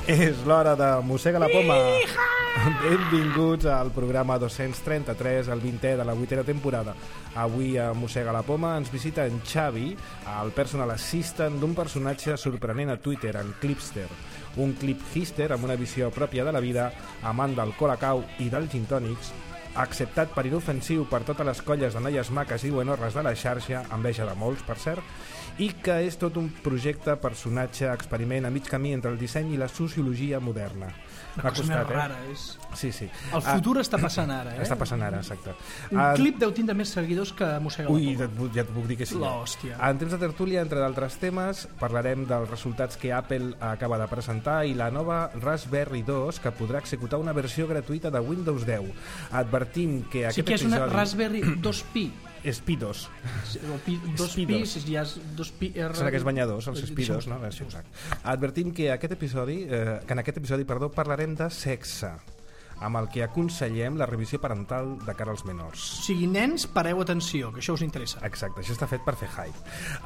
És l'hora de Mossega la Poma. Benvinguts al programa 233, el 20è de la 8a temporada. Avui a Mossega la Poma ens visita en Xavi, el personal assistant d'un personatge sorprenent a Twitter, en Clipster. Un clip hister amb una visió pròpia de la vida, amant del colacau i dels gintònics, acceptat per inofensiu per totes les colles de noies maques i buenorres de la xarxa, enveja de molts, per cert, i que és tot un projecte, personatge, experiment a mig camí entre el disseny i la sociologia moderna. Una cosa més rara, és... Sí, sí. El futur està passant ara, Està passant ara, exacte. Un clip deu tindre més seguidors que Mossega la Poma. Ui, ja et puc dir que sí. L'hòstia. En temps de tertúlia, entre d'altres temes, parlarem dels resultats que Apple acaba de presentar i la nova Raspberry 2, que podrà executar una versió gratuïta de Windows 10. Advertim que aquest episodi... Sí que és una Raspberry 2Pi. És Pi 2. Dos Pi, si ja és 2Pi... Són aquests banyadors, els Pi 2, no? Advertim que en aquest episodi parlarem de sexe, amb el que aconsellem la revisió parental de cara als menors. O sigui, nens, pareu atenció, que això us interessa. Exacte, això està fet per fer hype.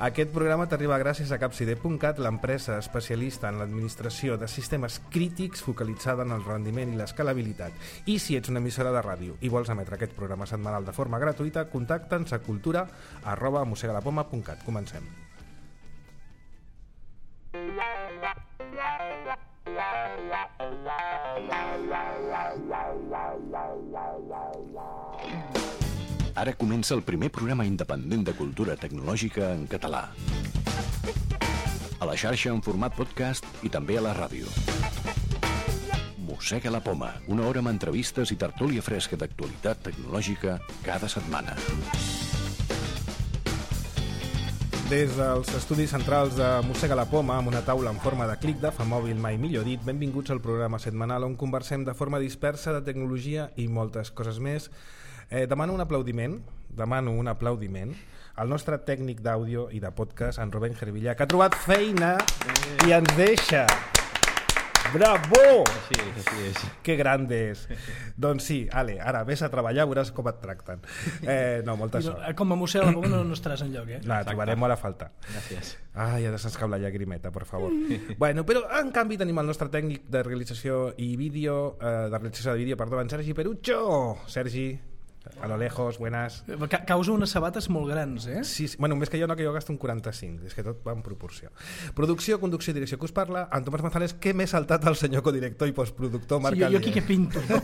Aquest programa t'arriba gràcies a Capside.cat, l'empresa especialista en l'administració de sistemes crítics focalitzada en el rendiment i l'escalabilitat. I si ets una emissora de ràdio i vols emetre aquest programa setmanal de forma gratuïta, contacta'ns a cultura@mosegalapoma.cat. Comencem. Ara comença el primer programa independent de cultura tecnològica en català. A la xarxa en format podcast i també a la ràdio. Mossega la Poma, una hora amb entrevistes i tertúlia fresca d'actualitat tecnològica cada setmana. Des dels estudis centrals de Mossega la Poma, amb una taula en forma de clic de famòbil, mai millor dit, benvinguts al programa setmanal on conversem de forma dispersa de tecnologia i moltes coses més. Demano un aplaudiment al nostre tècnic d'àudio i de podcast, en Rubén Gervillà, que ha trobat feina i ens deixa. Bravo! Així és. Que grande és. Doncs sí, ale, ara vés a treballar, veuràs com et tracten. No, molta sort. Com a Mossega la Poma no estaràs enlloc, No, trobarem a la falta. Gràcies. Ai, ha de s'escau la llagrimeta, per favor. Bueno, però en canvi tenim el nostre tècnic de realització i vídeo, en Sergi Perucho. Sergi, a lo lejos, buenas. Causa unes sabates molt grans, Sí, bueno, més que jo no, que jo gasto un 45, és que tot va en proporció. Producció, conducció i direcció que us parla, en Tomàs Manzanares, que m'he saltat el senyor codirector i postproductor Marc Alier. Jo aquí que pinto, no?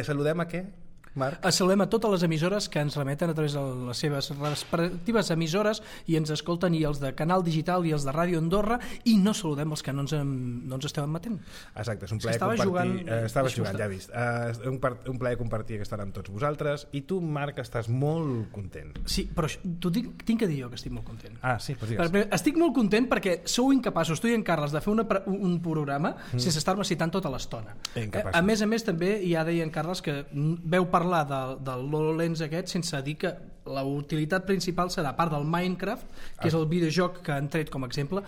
Saludem a què? Marc? Saludem a totes les emissores que ens remeten a través de les seves respectives emissores i ens escolten, i els de Canal Digital i els de Ràdio Andorra, i no saludem els que no ens esteu admetent. Exacte, és un plaer compartir. Estaves jugant, ja he vist. Un plaer compartir aquesta hora amb tots vosaltres, i tu, Marc, estàs molt content. Sí, però tinc que dir jo que estic molt content. Ah, sí, doncs digues. Estic molt content perquè sou incapaços, tu i en Carles, de fer un programa sense estar-me citant tota l'estona. A més, també ja deia en Carles que veu parlar del HoloLens aquest sense dir que la utilitat principal serà, a part del Minecraft, que és el videojoc que han tret com a exemple,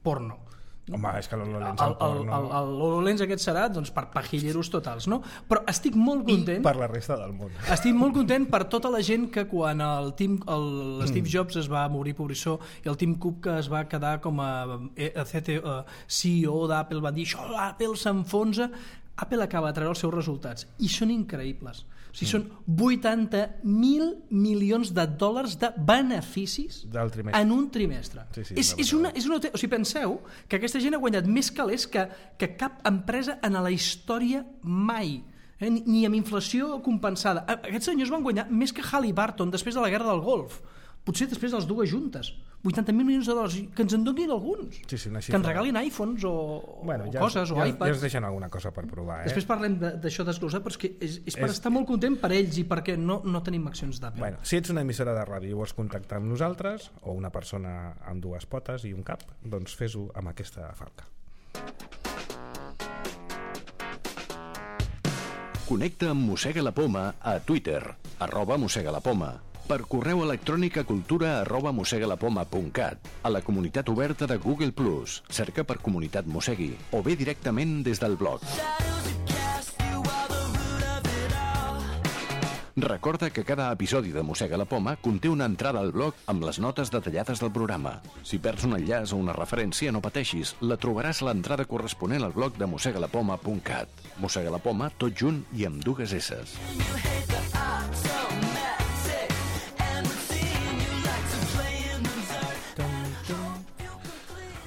porno. Home, és que l'HoloLens el porno... L'HoloLens aquest serà per pajilleros totals, no? Però estic molt content... I per la resta del món. Estic molt content per tota la gent que quan l'Steve Jobs es va morir pobrissó i el Tim Cook, que es va quedar com a CEO d'Apple, va dir això, l'Apple s'enfonsa. Apple acaba de treure els seus resultats i són increïbles. O sigui, són 80.000 milions de dòlars de beneficis en un trimestre. Sí, o sigui, penseu que aquesta gent ha guanyat més calés que cap empresa en la història mai. Ni amb inflació compensada. Aquests senyors van guanyar més que Halliburton després de la guerra del Golf. Potser després de les dues juntes. 80.000 milions de dòlars, que ens en donin alguns. Que ens regalin iPhones o coses, o iPads. Ja ens deixen alguna cosa per provar. Després parlem d'això desglosat, però és que és per estar molt content per ells i perquè no tenim accions d'Apple. Bueno, si ets una emissora de ràdio i vols contactar amb nosaltres, o una persona amb dues potes i un cap, doncs fes-ho amb aquesta falca. Connecta amb Mossega la Poma a Twitter, @mossegalapoma. Per correu electrònic a cultura@mossegalapoma.cat, a la comunitat oberta de Google+, cerca per Comunitat Mossegui, o bé directament des del blog. Recorda que cada episodi de Mossega la Poma conté una entrada al blog amb les notes detallades del programa. Si perds un enllaç o una referència, no pateixis, la trobaràs a l'entrada corresponent al blog de mossegalapoma.cat. Mossega la Poma, tot junt i amb 2 esses.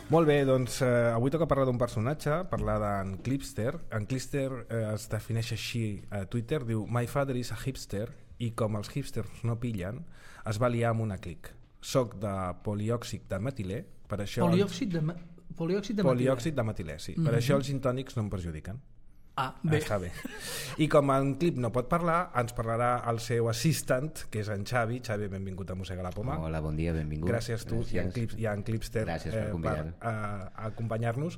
Molt bé, doncs avui toca parlar d'un personatge, parlar d'en Clipster. En Clipster es defineix així a Twitter, diu "My father is a hipster", i com els hipsters no pillen, es va liar amb una clic. Soc de poliòxid de metilè, per això... Poliòxid de metilè. Poliòxid de metilè, sí. Per això els gintònics no em perjudiquen. Ah, bé. Està bé. I com en Clip no pot parlar, ens parlarà el seu assistant, que és en Xavi. Xavi, benvingut a Mossega la Poma. Hola, bon dia, benvingut. Gràcies tu i en Clipster per acompanyar-nos.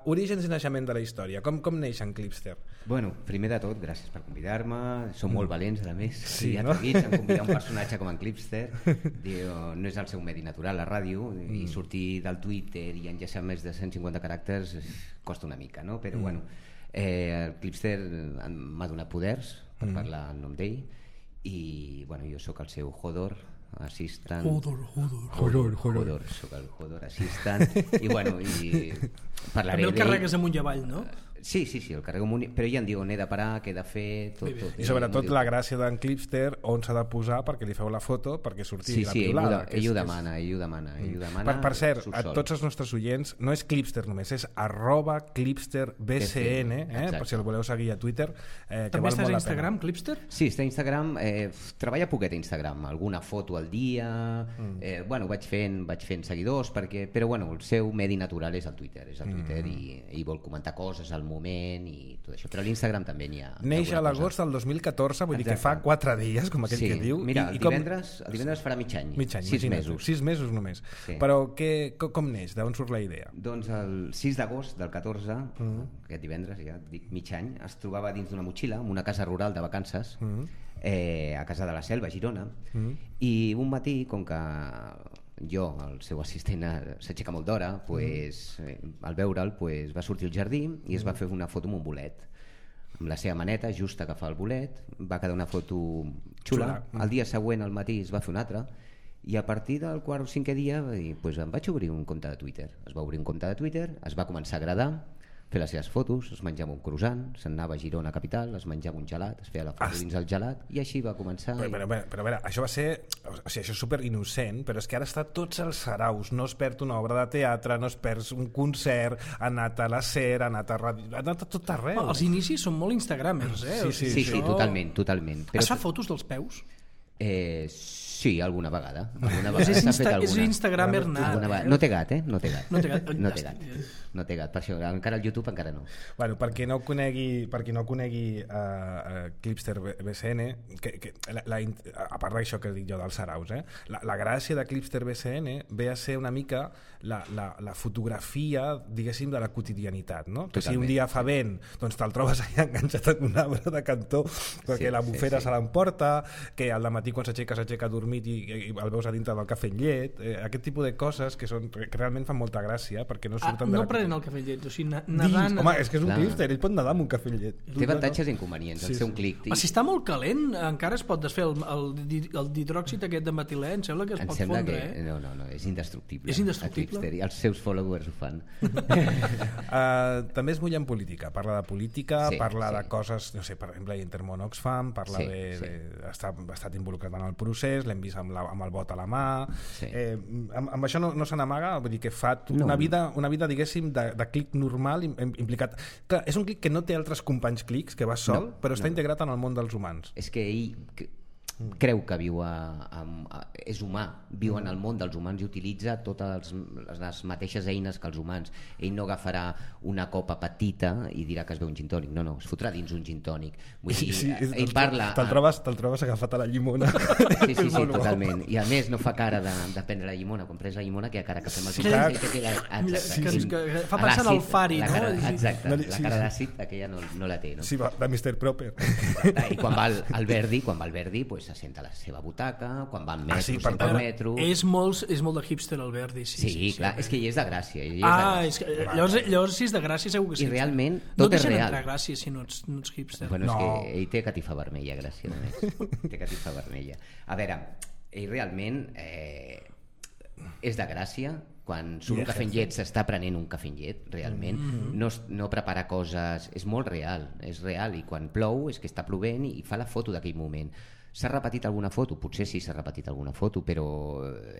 Orígens i naixement de la història. Com neix en Clipster? Bueno, primer de tot, gràcies per convidar-me. Som molt valents, a més. Sí, no? Atrevits en convidar un personatge com en Clipster. No és el seu medi natural, la ràdio, i sortir del Twitter i enllaçar més de 150 caràcters costa una mica, no? Però bueno, el Clipster m'ha donat poders per parlar en nom d'ell i bueno, jo sóc el seu Hodor assistant. Hodor, sóc el Hodor assistant i bueno, i parlaré també el carregues amunt i avall, no? Sí, el carrego amunt, però ja em diu on he de parar, què he de fer, tot. I sobretot la gràcia d'en Clipster, on s'ha de posar perquè li feu la foto, perquè surti la piulada. Ell ho demana. Per cert, a tots els nostres oients, no és Clipster només, és @ClipsterBCN, per si el voleu seguir a Twitter. També estàs a Instagram, Clipster? Sí, està a Instagram, treballa poquet a Instagram, alguna foto al dia, bueno, vaig fent seguidors, però bueno, el seu medi natural és el Twitter, i vol comentar coses al moment i tot això, però a l'Instagram també n'hi ha. Neix a l'agost del 2014, vull dir que fa 4 dies, com aquell que diu. Mira, el divendres farà mig any. 6 mesos. 6 mesos només. Però com neix? D'on surt la idea? Doncs el 6 d'agost del 14, aquest divendres, ja dic mig any, es trobava dins d'una motxilla, en una casa rural de vacances, a Casa de la Selva, a Girona, i un matí, com que jo, el seu assistent, s'aixeca molt d'hora, al veure'l va sortir al jardí i es va fer una foto amb un bolet, amb la seva maneta, just agafar el bolet, va quedar una foto xula. El dia següent, al matí, es va fer una altra, i a partir del quart o cinquè dia em vaig obrir un compte de Twitter. Es va obrir un compte de Twitter, es va començar a agradar, fer les seves fotos, es menjava un croissant, se'n anava a Girona capital, es menjava un gelat, es feia la foto dins el gelat, i així va començar. Però a veure, això va ser, això és super innocent, però és que ara està tots els saraus, no es perd una obra de teatre, no es perd un concert, ha anat a la SER, ha anat a ràdio, ha anat a tot arreu. Els inicis són molt instagramers, Sí, totalment. Es fa fotos dels peus? Sí, alguna vegada. És instagramer nat. No té gat, No té gat, per això encara al YouTube encara no. Bueno, per qui no conegui Clipster BCN, a part d'això que dic jo dels saraus, la gràcia de Clipster BCN ve a ser una mica la fotografia, diguéssim, de la quotidianitat, no? Que si un dia fa vent, doncs te'l trobes allà enganxat en un arbre de cantó perquè la bufera se l'emporta, que al dematí quan s'aixeca dormit i el veus a dintre del cafè amb llet, aquest tipus de coses que realment fan molta gràcia perquè no surten de la... No prenent el cafè amb llet, o sigui, nedant... Home, és que és un Clipster, ell pot nedar amb un cafè amb llet. Té avantatges i inconvenients, el seu clic. Si està molt calent, encara es pot desfer el dihidròxid aquest de metilè, em sembla que es pot fondre, No, és indestructible. És indestructible? I els seus followers ho fan. També es mulla en política, parla de política, parla de coses, no sé, per exemple, Intermón Oxfam, parla ha estat involucrat en el procés, l'hem vist amb el vot a la mà, amb això no se n'amaga, vull dir que fa una vida, diguéssim, de clic normal implicat. Clar, és un clic que no té altres companys clics, que va sol, però està integrat en el món dels humans. És que ell creu que és humà, viu en el món dels humans i utilitza totes les mateixes eines que els humans. Ell no agafarà una copa petita i dirà que es veu un gin tònic, no, es fotrà dins un gin tònic. Ell parla... Te'l trobes agafat a la llimona. Sí, totalment. I a més no fa cara de prendre la llimona. Quan prens la llimona queda cara que fem el gin tònic. Que fa pensar en el Fari, no? Exacte, la cara d'àcid aquella no la té. Sí, de Mr. Proper. I quan va al Verdi, pues, se senta a la seva butaca, quan va en metro, sí, senta al metro... És molt de hipster, Alberti. Sí, clar, és que hi és de Gràcia. És que, llavors si és de Gràcia segur que sí. I realment no tot és real. No deixen entrar a Gràcia si no ets hipster. Bueno, és que ell té catifa vermella, Gràcia, només. Té catifa vermella. A veure, ell realment és de Gràcia. Quan surt un cafè amb llet s'està prenent un cafè amb llet, realment. No prepara coses... És molt real, és real. I quan plou és que està plovent i fa la foto d'aquell moment. S'ha repetit alguna foto? Potser sí s'ha repetit alguna foto, però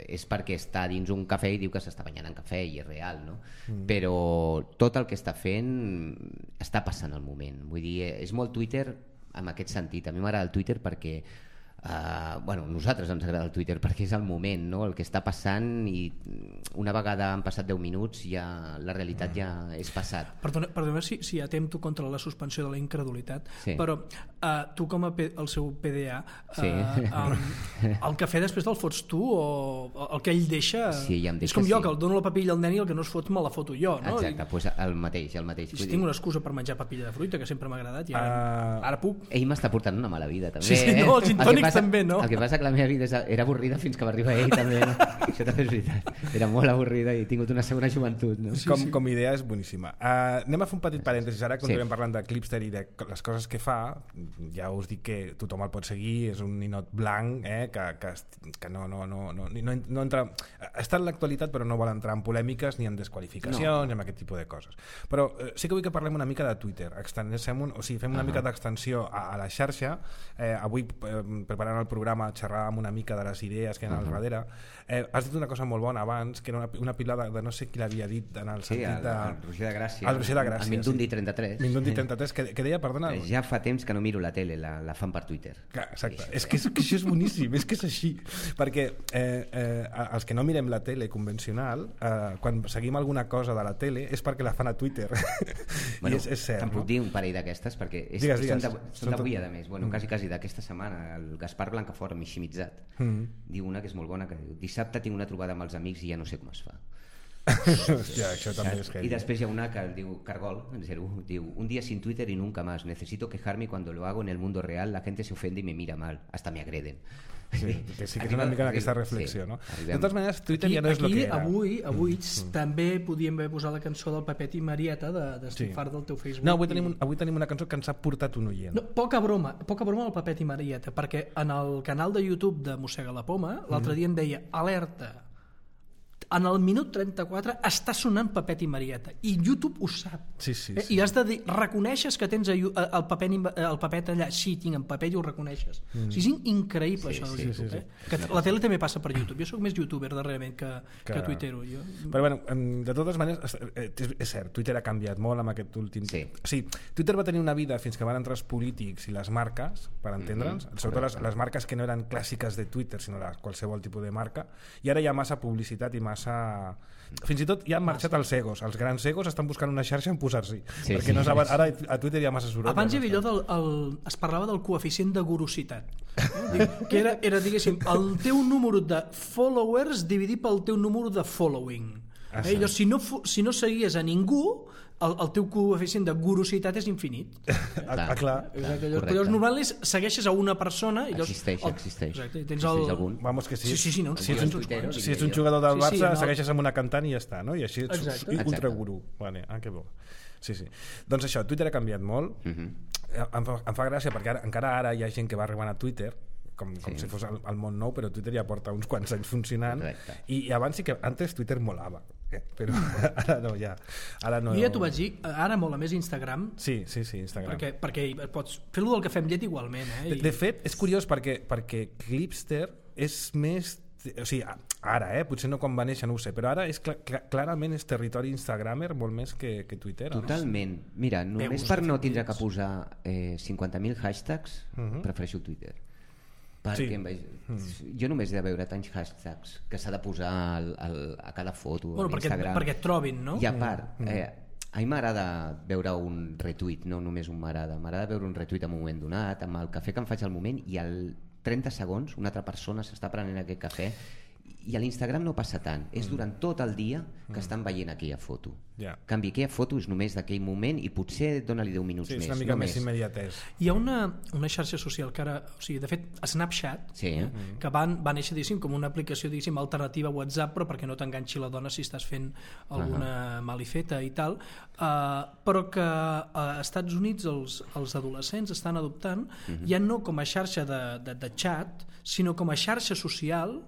és perquè està dins un cafè i diu que s'està banyant en cafè i és real, no? Però tot el que està fent està passant al moment. Vull dir, és molt Twitter en aquest sentit. A mi m'agrada el Twitter perquè nosaltres ens agrada el Twitter perquè és el moment, no? El que està passant, i una vegada han passat 10 minuts ja la realitat ja és passat. Perdona si atempto contra la suspensió de la incredulitat, però tu com el seu PDA el cafè després te'l fots tu o el que ell deixa, ja és com jo que el dono la papilla al nen i el que no es fot me la foto jo, no? Exacte, doncs el mateix. Si tinc una excusa per menjar papilla de fruita que sempre m'ha agradat i ara puc. Ell m'està portant una mala vida també. Sí, no, els gintònics també, no? El que passa que la meva vida era avorrida fins que va arribar ell també, no? Això també és veritat, era molt avorrida i he tingut una segona joventut, no? Com idea és boníssima. Anem a fer un petit parèntesis ara, continuem parlant de Clipster i de les coses que fa. Ja us dic que tothom el pot seguir, és un ninot blanc que no entra, està en l'actualitat però no vol entrar en polèmiques ni en desqualificacions ni en aquest tipus de coses, però sí que vull que parlem una mica de Twitter, fem una mica d'extensió a la xarxa. Avui preparant el programa xerràvem una mica de les idees que hi ha al darrere. Has dit una cosa molt bona abans, que era una pilada de no sé qui l'havia dit en el sentit de... el Roger de Gràcia. El Roger de Gràcia, el Mindundi 33. Mindundi 33, que deia, perdona... Ja fa temps que no miro la tele, la fan per Twitter. Exacte, és que això és boníssim, és que és així, perquè els que no mirem la tele convencional, quan seguim alguna cosa de la tele és perquè la fan a Twitter. Bueno, és cert, te'n puc dir un parell d'aquestes, perquè són d'avui, a més, quasi d'aquesta setmana. El Gaspar Blancafort, Miximitzat, diu una que és molt bona, que diu: dissabte tinc una trobada amb els amics i ja no sé com es fa. Hòstia, això també és heavy. Y després hi ha una que diu Cargol, en 01, diu: un día sin Twitter y nunca más, necesito quejarme y cuando lo hago en el mundo real la gente se ofende y me mira mal, hasta me agreden. Sí que és una mica d'aquesta reflexió, no? De totes maneres, Twitter ja no és el que era. Avui també podíem haver posat la cançó del Pepet i Marieta d'Estifar del teu Facebook. No, avui tenim una cançó que ens ha portat un oient. No, poca broma al Pepet i Marieta, perquè en el canal de YouTube de Mossega la Poma l'altre dia em deia: alerta, en el minut 34 està sonant Pepet i Marieta, i YouTube ho sap. Sí. I has de dir, reconeixes que tens el Pepet allà? Sí, tinc en Pepet i ho reconeixes. És increïble això del YouTube. Que la tele també passa per YouTube. Jo sóc més youtuber darrerament que tuitero. Però bueno, de totes maneres és cert, Twitter ha canviat molt amb aquest últim temps. Sí, Twitter va tenir una vida fins que van entrar els polítics i les marques, per entendre'ns, sobretot les marques que no eren clàssiques de Twitter, sinó qualsevol tipus de marca, i ara hi ha massa publicitat i massa... Fins i tot ja han marxat els egos. Els grans egos estan buscant una xarxa en posar-s'hi, perquè no saben, ara a Twitter hi ha massa soroll. Abans hi havia es parlava del coeficient de gorositat, que era diguéssim, el teu número de followers dividit pel teu número de following. Si no seguies a ningú, el teu coeficient de gorositat és infinit. Clar. Llavors normalment segueixes a una persona i existeix tens algun. Vamos que sí. Si ets un jugador del Barça, segueixes amb una cantant i ja està, no? I així ets ultraguru. Que bo. Sí. Doncs això, Twitter ha canviat molt. Em fa gràcia perquè encara ara hi ha gent que va arribant a Twitter com si fos el món nou, però Twitter ja porta uns quants anys funcionant. I abans sí que antes Twitter molava, però ara no, ja. Jo ja t'ho vaig dir, ara mola més Instagram. Sí, Instagram. Perquè pots fer-lo del cafè amb llet igualment. De fet, és curiós perquè Clipster és més... O sigui, ara, potser no quan va néixer, no ho sé, però ara és clarament és territori instagramer molt més que Twitter. Totalment. Mira, només per no tindre que posar 50.000 hashtags, prefereixo Twitter. Perquè jo només he de veure tants hashtags que s'ha de posar a cada foto a Instagram perquè et trobin, no? I a part, a mi m'agrada veure un retweet, no només un m'agrada veure un retweet en un moment donat, amb el cafè que em faig al moment, i al 30 segons una altra persona s'està prenent aquest cafè I a l'Instagram no passa tant, és durant tot el dia que estan veient aquella foto. Ja. En canvi, aquella foto és només d'aquell moment i potser dona-li 10 minuts Sí, més. és una mica no més immediatès. Hi ha una xarxa social que ara, o sigui, de fet, Snapchat, Sí, que va néixer, diguéssim, com una aplicació, diguéssim, alternativa a WhatsApp, però perquè no t'enganxi la dona si estàs fent alguna malifeta i tal, però que a Estats Units els adolescents estan adoptant ja no com a xarxa de xat, sinó com a xarxa social,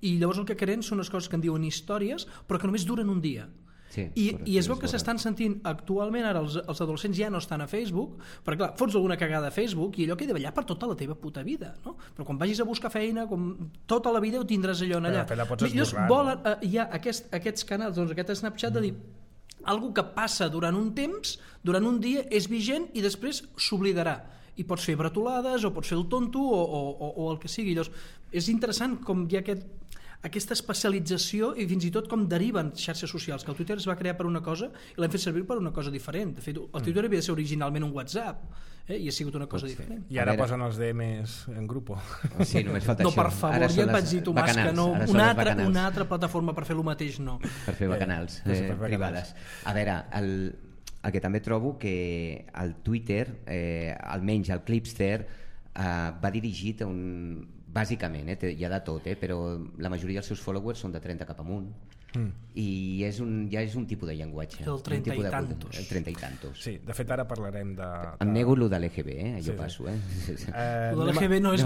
i llavors el que creen són les coses que en diuen històries, però que només duren un dia. Sí, I es veu que s'estan sentint actualment, ara els adolescents ja no estan a Facebook, perquè clar, fots alguna cagada a Facebook i allò queda allà per tota la teva puta vida, no? Però quan vagis a buscar feina, tota la vida ho tindràs allò allà. Però la pots esborrar, Hi ha aquests canals, doncs aquest Snapchat de dir algo que passa durant un temps, durant un dia, és vigent i després s'oblidarà. I pots fer bretolades o pots fer el tonto o el que sigui. Llavors, és interessant com hi ha aquesta especialització i fins i tot com deriven xarxes socials, que el Twitter es va crear per una cosa i l'hem fet servir per una cosa diferent. De fet, el Twitter havia de ser originalment un WhatsApp i ha sigut una cosa diferent. I ara posen els DMs en grupo. Sí, només falta No, això. per favor, ja et vaig dir, Tomàs, que no. Una altra plataforma per fer el mateix, no. Per fer bacanals privades. A veure, el que també trobo que el Twitter, almenys el Clipster, va dirigit a un... Bàsicament, hi ha de tot, però la majoria dels seus followers són de 30 cap amunt. I ja és un tipus de llenguatge. El 30 i tantos. El 30 i tantos. Sí, de fet ara parlarem de... Em nego lo de l'EGB, jo passo. Lo de l'EGB no, és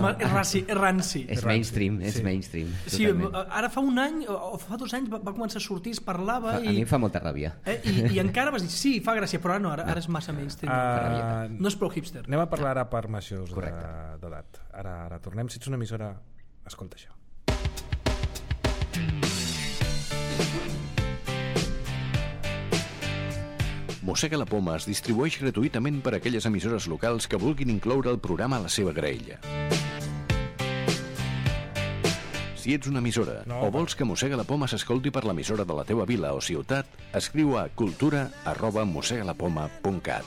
ranci. És mainstream, és mainstream. Sí, ara fa un any o fa 2 anys va començar a sortir, es parlava... A mi em fa molta ràbia. I encara vas dir, sí, fa gràcia, però ara és massa mainstream. No és prou hipster. Anem a parlar ara per majors d'edat. Ara tornem. Si ets una emissora, escolta això. Mossega la Poma es distribueix gratuïtament per a aquelles emissores locals que vulguin incloure el programa a la seva graella. Si ets una emissora o vols que Mossega la Poma s'escolti per l'emissora de la teva vila o ciutat, escriu a cultura@mossegalapoma.cat.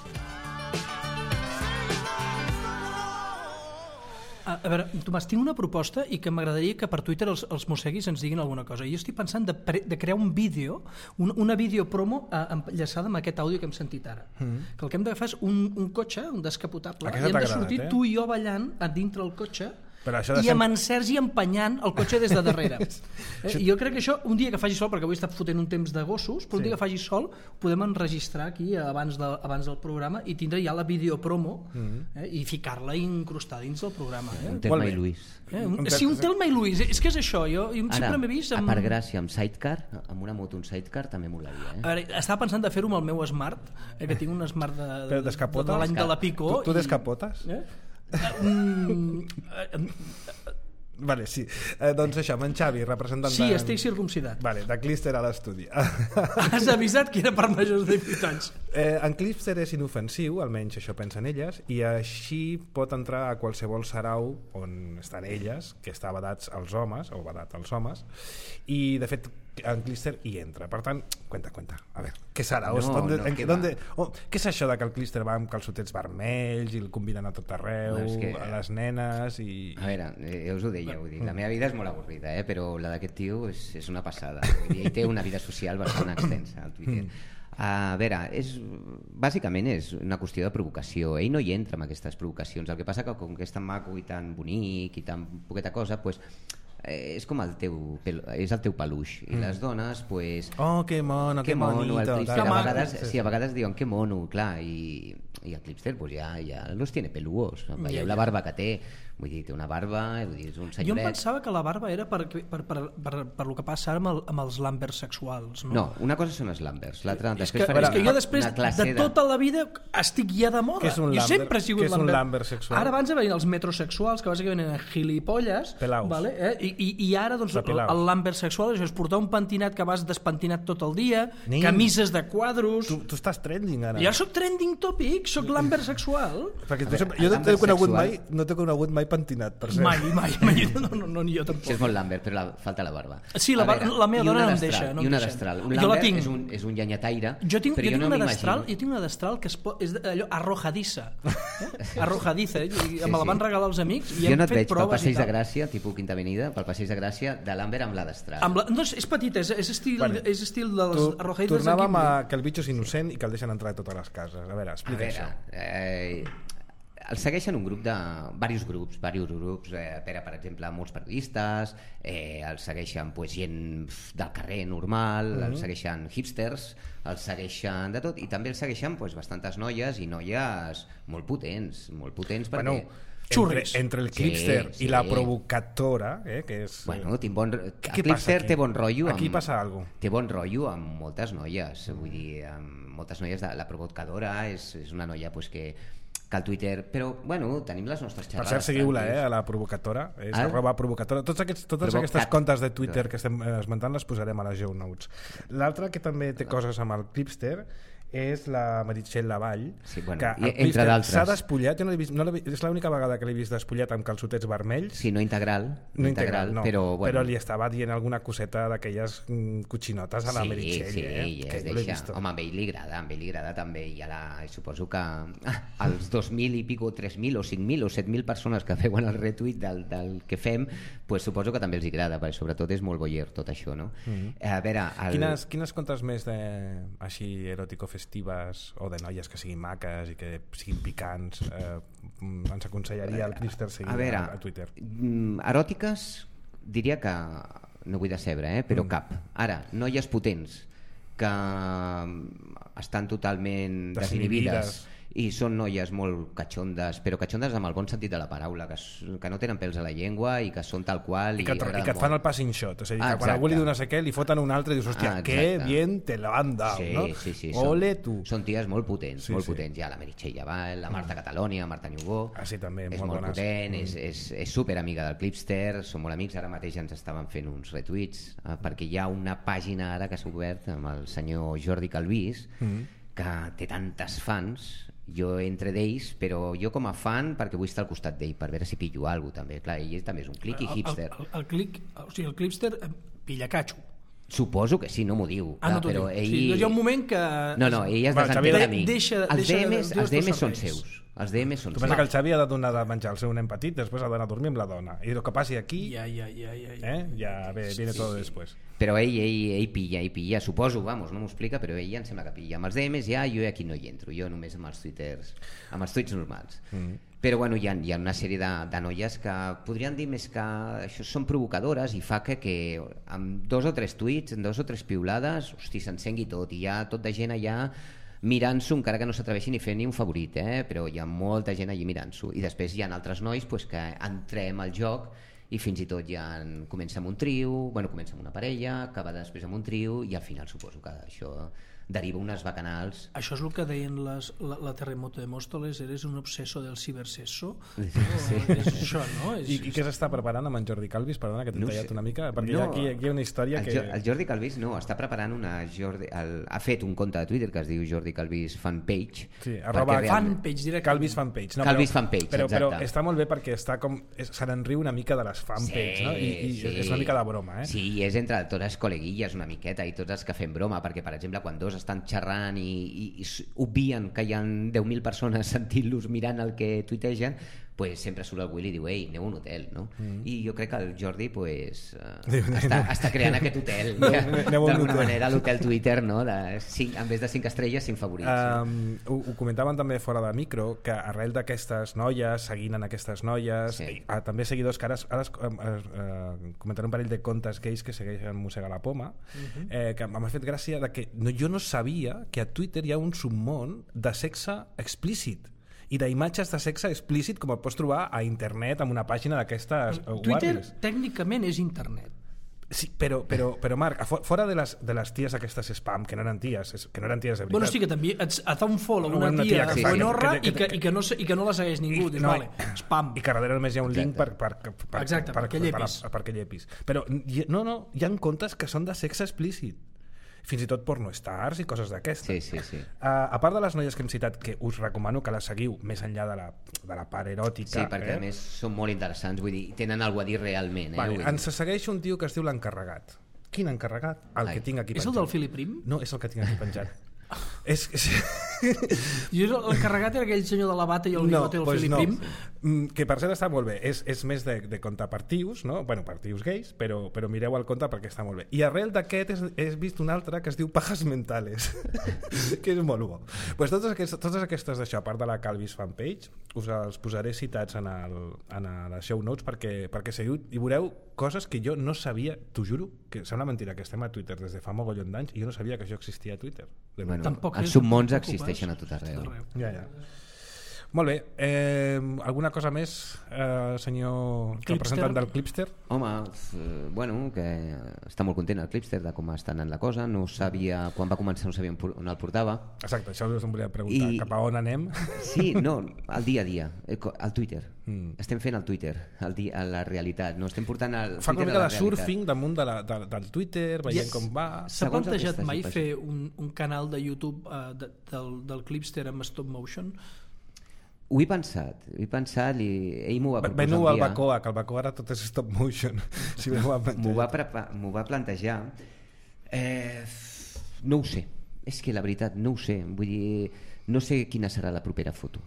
A veure, Tomàs, tinc una proposta i que m'agradaria que per Twitter els mosseguis ens diguin alguna cosa. Jo estic pensant de crear un vídeo, una videopromo enllaçada amb aquest àudio que hem sentit ara. Que el que hem d'agafar és un cotxe, un descapotable, i hem de sortir tu i jo ballant a dintre el cotxe i amb en Sergi empenyant el cotxe des de darrere. I jo crec que això, un dia que faci sol, perquè avui està fotent un temps de gossos, però un dia que faci sol podem enregistrar aquí abans del programa i tindre ja la videopromo i ficar-la i incrustar dins del programa. Un Telma i Luis. Sí, un Telma i Luis. És que és això. Jo sempre m'he vist... Ara, per gràcia, amb sidecar, amb una moto, un sidecar, també molaria. A veure, estava pensant de fer-ho amb el meu Smart, que tinc un Smart de l'any de la Pico. Tu descapotes? Vale, sí. Doncs això, amb en Xavi, representant sí, estic circumcidat. Vale, de Clipster a l'estudi. Has avisat que era per majors de 18 anys. En Clipster és inofensiu, almenys això pensen elles, i així pot entrar a qualsevol sarau on estan elles, que està vedats als homes, o vedat als homes, i de fet en Clipster hi entra. Per tant, cuenta. A veure, què serà? Què és això de que el Clipster va amb calçotets vermells i el conviden a tot arreu, a les nenes i... A veure, jo us ho deia, vull dir, la meva vida és molt avorrida, però la d'aquest tio és una passada. Vull dir, ell té una vida social bastant extensa al Twitter. A veure, bàsicament és una qüestió de provocació. Ell no hi entra amb aquestes provocacions. El que passa que com que és tan maco i tan bonic i tan poqueta cosa, doncs és com el teu peluix i les dones pues que mono, que bonito, a vegades diuen que mono, clar, i el Clipster pues ja los tiene peludos, veieu la barba que té, vull dir, té una barba, vull dir, és un senyoret. Jo em pensava que la barba era per lo que passa ara amb els lambers sexuals, no? No, una cosa són els lambers, l'altra és que jo després de tota la vida estic ja de moda. Jo sempre he sigut lamber sexual. Ara abans venien els metrosexuals, que bàsicament eren gilipolles, i ara doncs el lamber sexual és portar un pentinat que vas despentinat tot el dia, camises de quadros. Tu estàs trending ara. Jo soc trending topic, soc lamber sexual. Jo no t'he conegut mai pentinat, per cert. Mai. No, ni jo tampoc. Això és molt Lambert, però falta la barba. Sí, la meva dona no em deixa. I una destral. Un jo la Lambert tinc. és un llenyataire, Jo tinc una destral, m'imagino. jo tinc una destral que és allò arrojadissa. Arrojadissa, i me la van regalar els amics i jo hem no et fet veig pel proves i Passeig de tal. Gràcia, tipus Quinta Avenida, pel Passeig de Gràcia de Lambert amb la destral. No, és petita, és estil de les arrojadites de Tornàvem Ghibli. que el bitxo és innocent i que el deixen entrar a totes les cases. A veure, explica això. El segueixen diversos grups, per exemple, molts periodistes, el segueixen gent del carrer normal, el segueixen hipsters, el segueixen de tot, i també el segueixen bastantes noies i noies molt potents perquè... Bueno, entre el Clipster i la provocatora, que és... Bueno, el Clipster té bon rotllo. Aquí passa alguna cosa. Té bon rotllo amb moltes noies, vull dir, amb moltes noies. La provocadora és una noia que al Twitter, però bueno, tenim les nostres xerrades. Per cert, seguiu-la, a la provocatora, és @provocatora. Totes aquestes comptes de Twitter que estem esmentant les posarem a les show notes. L'altre que també té coses amb el Clipster és la Meritxell Lavall, que entre d'altres s'ha despullat, és l'única vegada que l'he vist despullat amb calçotets vermells. Sí, no integral, no, però li estava dient alguna coseta d'aquelles cochinotes a la Meritxell. Sí, home, amb ell li agrada també, i suposo que els 2.000 i pico, 3.000 o 5.000 o 7.000 persones que veuen el retweet del que fem, suposo que també els agrada, perquè sobretot és molt voyeur tot això, no? A veure... Quines comptes més així eròtico festives o de noies que siguin maques i que siguin picants ens aconsellaria el Clipster seguir a Twitter? Eròtiques diria que no vull decebre, però cap. Ara, noies potents que estan totalment desinhibides i són noies molt catxondes, però catxondes amb el bon sentit de la paraula, que no tenen pèls a la llengua i que són tal qual i que et fan el passing shot, és a dir, que quan algú li diu no sé què li foten un altre i dius, hòstia, que bien te lo han dado, no? Sí, ole tu. Són ties molt potents, potents. Ja la Meritxell Lavall, la Marta Catalonia, Marta Niubó, també, és molt potent, és superamiga del Clipster, són molt amics, ara mateix ens estaven fent uns retuits, perquè hi ha una pàgina ara que s'ha obert amb el senyor Jordi Calvís, que té tantes fans, jo entre d'ells, però jo com a fan perquè vull estar al costat d'ell per veure si pillo alguna cosa també. Clar, ell també és un clic i hipster. El Clipster pilla catxo. Suposo que sí, no m'ho diu. No t'ho diu. Hi ha un moment que... No, ell es desentén de mi. Els DMs són seus. Els DMs són tu pensa que el Xavi ha de donar de menjar el seu nen petit, després ha d'anar a dormir amb la dona, i el que passi aquí ja viene todo después. Però ell pilla, suposo, no m'ho explica, però ell em sembla que pilla. Amb els DMs jo aquí no hi entro, jo només amb els tuits normals. Però bueno, hi ha una sèrie de noies que podrien dir més que això són provocadores i fa que amb 2 o 3 tuits, amb 2 o 3 piulades, hosti, s'encengui tot, i hi ha tot de gent allà mirant-s'ho, encara que no s'atreveixin ni fer ni un favorit, però hi ha molta gent allí mirant-s'ho, i després hi ha altres nois que entrem al joc i fins i tot ja comença amb un trio, comença amb una parella, acaba després amb un trio, i al final suposo que això deriva unes bacanals. Això és el que deien la Terremoto de Móstoles, eres un obseso del cibersesso? Sí. És això, no? I què s'està preparant amb en Jordi Calvis? Perdona, que t'he tallat una mica, perquè aquí hi ha una història que... El Jordi Calvis està preparant ha fet un compte de Twitter que es diu Jordi Calvis Fanpage. Sí, fanpage, directe. Calvis Fanpage. Calvis Fanpage, exacte. Però està molt bé perquè està com... se n'enriu una mica de les fanpage, no? I és una mica de broma, Sí, és entre totes les col·leguilles una miqueta i tots els que fem broma, perquè per exemple quan dos estan xerrant i obvien que hi ha 10.000 persones sentint-los mirant el que tuitegen, pues sempre surt el Willy i diu, ei, aneu a un hotel, no? I jo crec que el Jordi està creant aquest hotel, d'alguna manera, l'hotel Twitter, no? En vez de 5 estrelles, 5 favorits. Ho comentaven també fora de micro, que arrel d'aquestes noies, seguint en aquestes noies, també seguidors que ara comentaré un parell de comptes gais que segueixen Mossega la Poma, que m'ha fet gràcia que jo no sabia que a Twitter hi ha un submón de sexe explícit i d'imatges de sexe explícit com el pots trobar a internet amb una pàgina d'aquestes Twitter tècnicament és internet. Sí, però Marc, fora de les ties aquestes spam, que no eren ties de veritat. Bueno, sí que també et fa un follow una tia buenorra i que no la segueix ningú, spam. I que darrere només hi ha un link perquè llepis. Però no, hi ha comptes que són de sexe explícit. fins i tot pornostars i coses d'aquestes. Sí. A part de les noies que hem citat, que us recomano que les seguiu més enllà de la part eròtica. Sí, perquè a més són molt interessants, vull dir, tenen alguna a dir realment. Vale, ens segueix un tio que es diu l'encarregat. Quin encarregat? El que tinc aquí penjat. És el del Philip Prim? No, és el que tinc aquí penjat. Jo l'encarregat era aquell senyor de la bata i el bigote del Philip Prim. Que per cert està molt bé, és més de contar partius, no? Bueno, partius gais, però mireu el conte perquè està molt bé. I arrel d'aquest he vist un altre que es diu Pajas Mentales, que és molt bo. Pues totes aquestes d'això, a part de la Calvis fanpage, us els posaré citats en les show notes perquè seguiu i veureu coses que jo no sabia, t'ho juro, que sembla mentira que estem a Twitter des de fa mogollon d'anys i jo no sabia que això existia a Twitter. Bueno, els submons existeixen a tot arreu. Ja. Molt bé, alguna cosa més, senyor representant del Clipster? Home, bueno, que està molt content el Clipster de com està anant la cosa, no sabia, quan va començar no sabia on el portava. Exacte, això us em volia preguntar, cap a on anem? Sí, no, al dia a dia, al Twitter. Estem fent el Twitter, a la realitat, no estem portant el Fa Twitter una mica a la de realitat. surfing damunt del Twitter, veient com va. S'ha plantejat mai fer un canal de YouTube del Clipster amb stop motion? Ho he pensat i ell m'ho va proposar Veniu un al dia. Bacoa, que el Bacoa ara tot és stop motion. Si M'ho va plantejar. No ho sé, és que la veritat no ho sé, vull dir, no sé quina serà la propera foto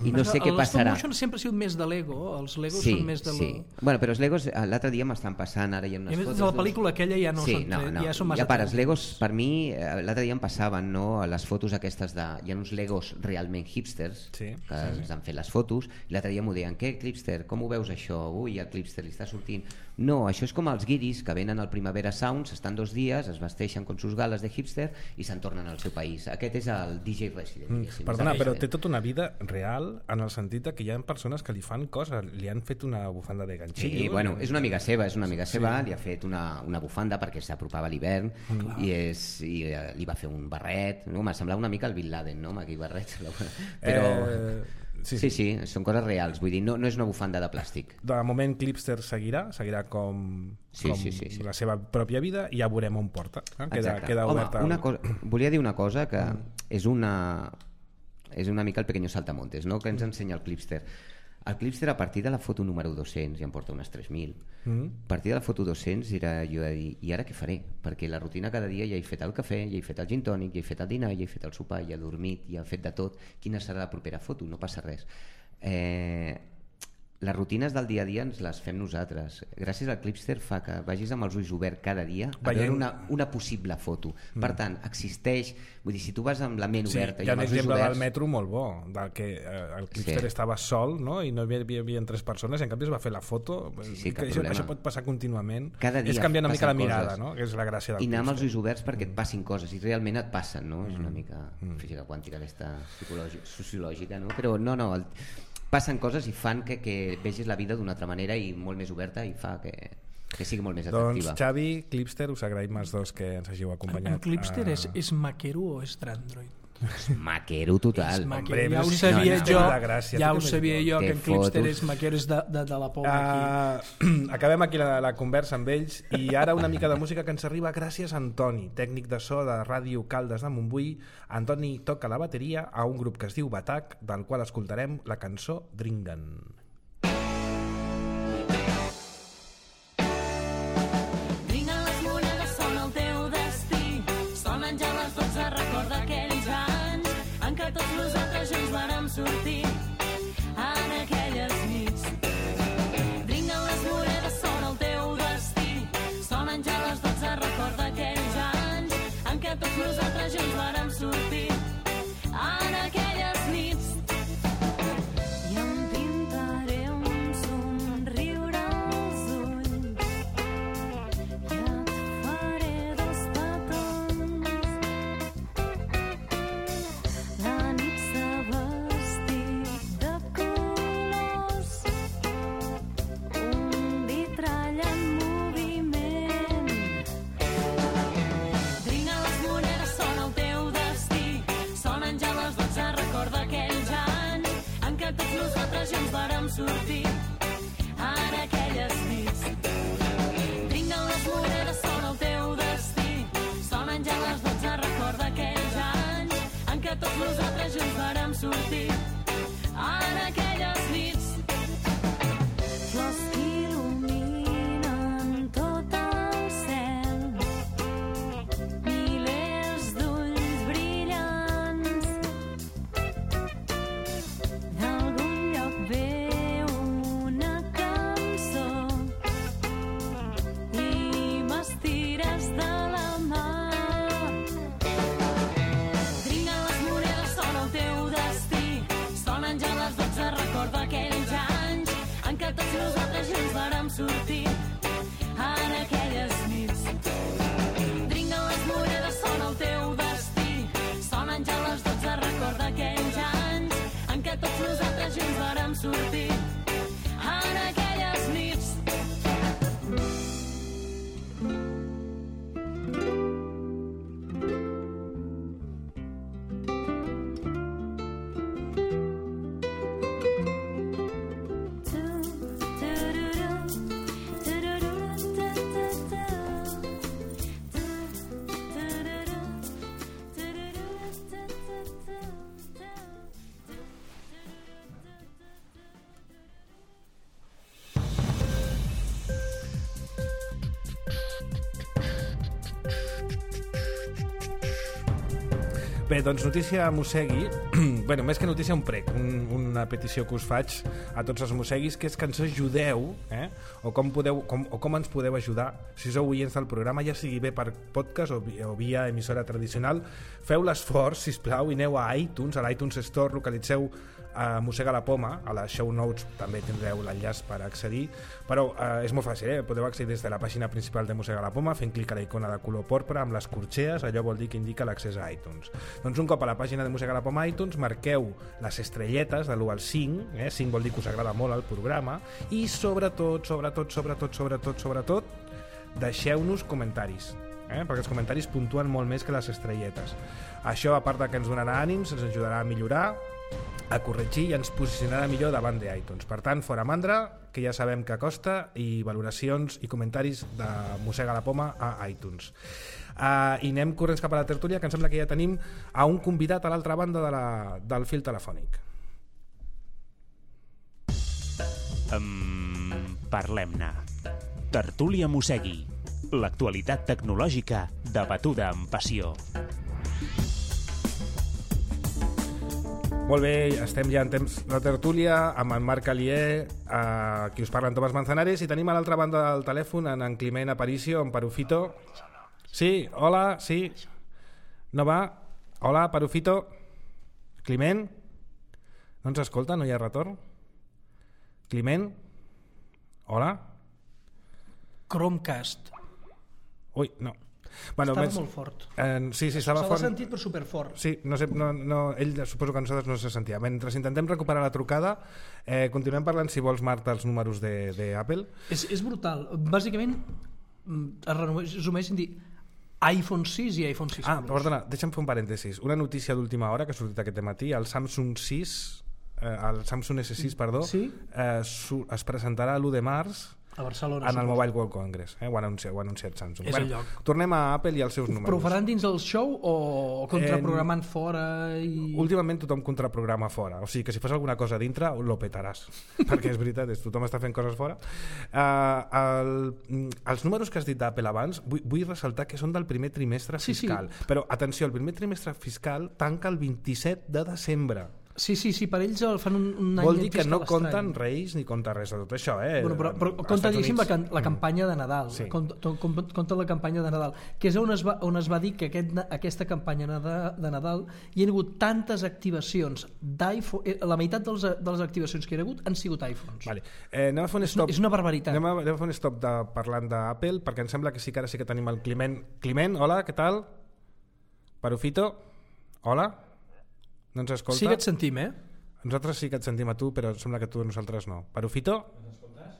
i no sé què passarà. El stop motion sempre ha sigut més de Lego, els Legos sí, són més de sí. Bueno, però els Legos l'altre dia m'estan passant, ara hi ha unes fotos. De la pel·lícula aquella ja no són ja són massa. Ja els Legos per mi l'altre dia em passaven, no, les fotos aquestes de hi ha uns Legos realment hipsters que ens han fet les fotos i l'altre dia m'ho deien, què Clipster, com ho veus això? Ui, el Clipster li està sortint. No, això és com els guiris que venen al Primavera Sounds, estan 2 dies, es vesteixen con sus gales de hipster i se'n tornen al seu país. Aquest és el DJ Resident. Perdona, però té tota una vida real en el sentit que hi ha persones que li fan coses, li han fet una bufanda de ganxillo. Sí, bueno, és una amiga seva, li ha fet una bufanda perquè s'apropava l'hivern i li va fer un barret, no? M'ha semblat una mica el Bin Laden, no? Amb aquell barret. Però... Sí, són coses reals, vull dir, no és una bufanda de plàstic. De moment Clipster seguirà com la seva pròpia vida i ja veurem on porta. Queda oberta. Volia dir una cosa que és una mica el pequeño saltamontes, no? Que ens ensenya el Clipster. El Clipster a partir de la foto número 200 ja em porta unes 3.000. A partir de la foto 200 era jo de dir, i ara què faré? Perquè la rutina cada dia ja he fet el cafè, ja he fet el gin tònic, ja he fet el dinar, ja he fet el sopar, ja he dormit, ja he fet de tot. Quina serà la propera foto? No passa res. Les rutines del dia a dia ens les fem nosaltres. Gràcies al Clipster fa que vagis amb els ulls oberts cada dia a veure una possible foto. Per tant, existeix, vull dir, si tu vas amb la ment oberta i amb els ulls oberts... Hi ha un exemple del metro molt bo, que el Clipster estava sol, no? I no hi havia 3 persones i en canvi es va fer la foto. Això pot passar contínuament. És canviar una mica la mirada, no? Que és la gràcia del Clipster. I anar amb els ulls oberts perquè et passin coses i realment et passen, no? És una mica física quàntica aquesta sociològica, no? Però no, passen coses i fan que vegis la vida d'una altra manera i molt més oberta i fa que sigui molt més atractiva. Doncs Xavi, Clipster, us agraïm els dos que ens hàgiu acompanyat. En Clipster és maquero o és Android? Maquero total. Ja ho sabia jo que en Clipster és maquero, és de la poma aquí. Acabem aquí la conversa amb ells i ara una mica de música que ens arriba gràcies a Antoni, tècnic de so de Ràdio Caldes de Montbui. Antoni toca la bateria a un grup que es diu Batac, del qual escoltarem la cançó Dringen. Sortir en aquelles nits. Dringen les monedes, són el teu destí. Sonen ja les 12, recorda aquells anys en què tots nosaltres junts vàrem sortir en aquelles nits. I em pintaré un somriure als ulls i et faré 2 petons. La nit s'ha sortir en aquelles nits. Dringen les monedes, són el teu destí. Sonen ja sortir en aquelles nits. Dringuen les monedes, sona el teu destí, sonen ja les 12, recorda aquells anys en què tots nosaltres junts vàrem sortir en aquelles nits. Bé, doncs notícia mossegui, bueno, més que notícia, un prec, una petició que us faig a tots els mosseguis, que és que ens ajudeu, o com ens podeu ajudar, si sou oients del programa, ja sigui bé per podcast o via emissora tradicional, feu l'esforç, sisplau, i aneu a iTunes, a l'iTunes Store, localitzeu a Mossega la Poma, a les show notes també tindreu l'enllaç per accedir, però és molt fàcil, podeu accedir des de la pàgina principal de Mossega la Poma fent clic a la icona de color porpra amb les corxees, allò vol dir que indica l'accés a iTunes. Doncs un cop a la pàgina de Mossega la Poma iTunes marqueu les estrelletes de l'1 al 5, 5 vol dir que us agrada molt el programa, i sobretot deixeu-nos comentaris, perquè els comentaris puntuen molt més que les estrelletes. Això, a part de que ens donarà ànims, ens ajudarà a millorar, a corregir i ens posicionarà millor davant d'iTunes. Per tant, fora mandra, que ja sabem que costa, i valoracions i comentaris de Mossega la Poma a iTunes. I anem corrents cap a la tertúlia, que em sembla que ja tenim a un convidat a l'altra banda del fil telefònic. Parlem-ne. Tertúlia Mossegui. L'actualitat tecnològica debatuda amb passió. Molt bé, estem ja en temps de tertúlia amb en Marc Alier, qui us parla en Tomàs Manzanares, i tenim a l'altra banda del telèfon en Climent Aparicio, en Perufito. Sí, hola, sí. No va? Hola, Perufito. Climent? No ens escolta? No hi ha retorn? Climent? Hola? Chromecast. Ui, no. Bueno, estava molt fort. Sí, estava fort. Se l'ha sentit, però superfort. Sí, no sé, ell suposo que nosaltres no se sentia. Mentre intentem recuperar la trucada, continuem parlant, si vols, Marta, els números d'Apple. És brutal. Bàsicament, es resumeix en dir iPhone 6 i iPhone 6 Plus. Perdona, deixa'm fer un parèntesis. Una notícia d'última hora que ha sortit aquest matí, el Samsung S6, perdó, sí? Es presentarà l'1 de març a Barcelona, en el Mobile World Congress, ho ha anunciat Samsung. És el lloc. Tornem a Apple i als seus números. Però ho faran dins del show o contraprogramant fora? Últimament tothom contraprograma fora, o sigui que si fas alguna cosa dintre lo petaràs, perquè és veritat, tothom està fent coses fora. Els números que has dit d'Apple abans, vull ressaltar que són del primer trimestre fiscal, sí. Però atenció, el primer trimestre fiscal tanca el 27 de desembre. Sí, per ells fan un any vol dir que no estrany. Compten Reis ni compta res de tot això, Bueno, però compta, diguéssim, la campanya de Nadal, sí. Compta la campanya de Nadal, que és on es va dir que aquesta campanya de Nadal hi ha hagut tantes activacions d'iPhone, la meitat de les activacions que hi ha hagut han sigut iPhones. Vale. Anem a fer un stop. És una barbaritat. Anem a fer un stop parlant d'Apple, perquè em sembla que ara sí que tenim el Climent. Climent, hola, què tal? Perufito, hola? No ens escolta? Sí que et sentim, Nosaltres sí que et sentim a tu, però sembla que tu a nosaltres no. Perufito? Ens escoltes?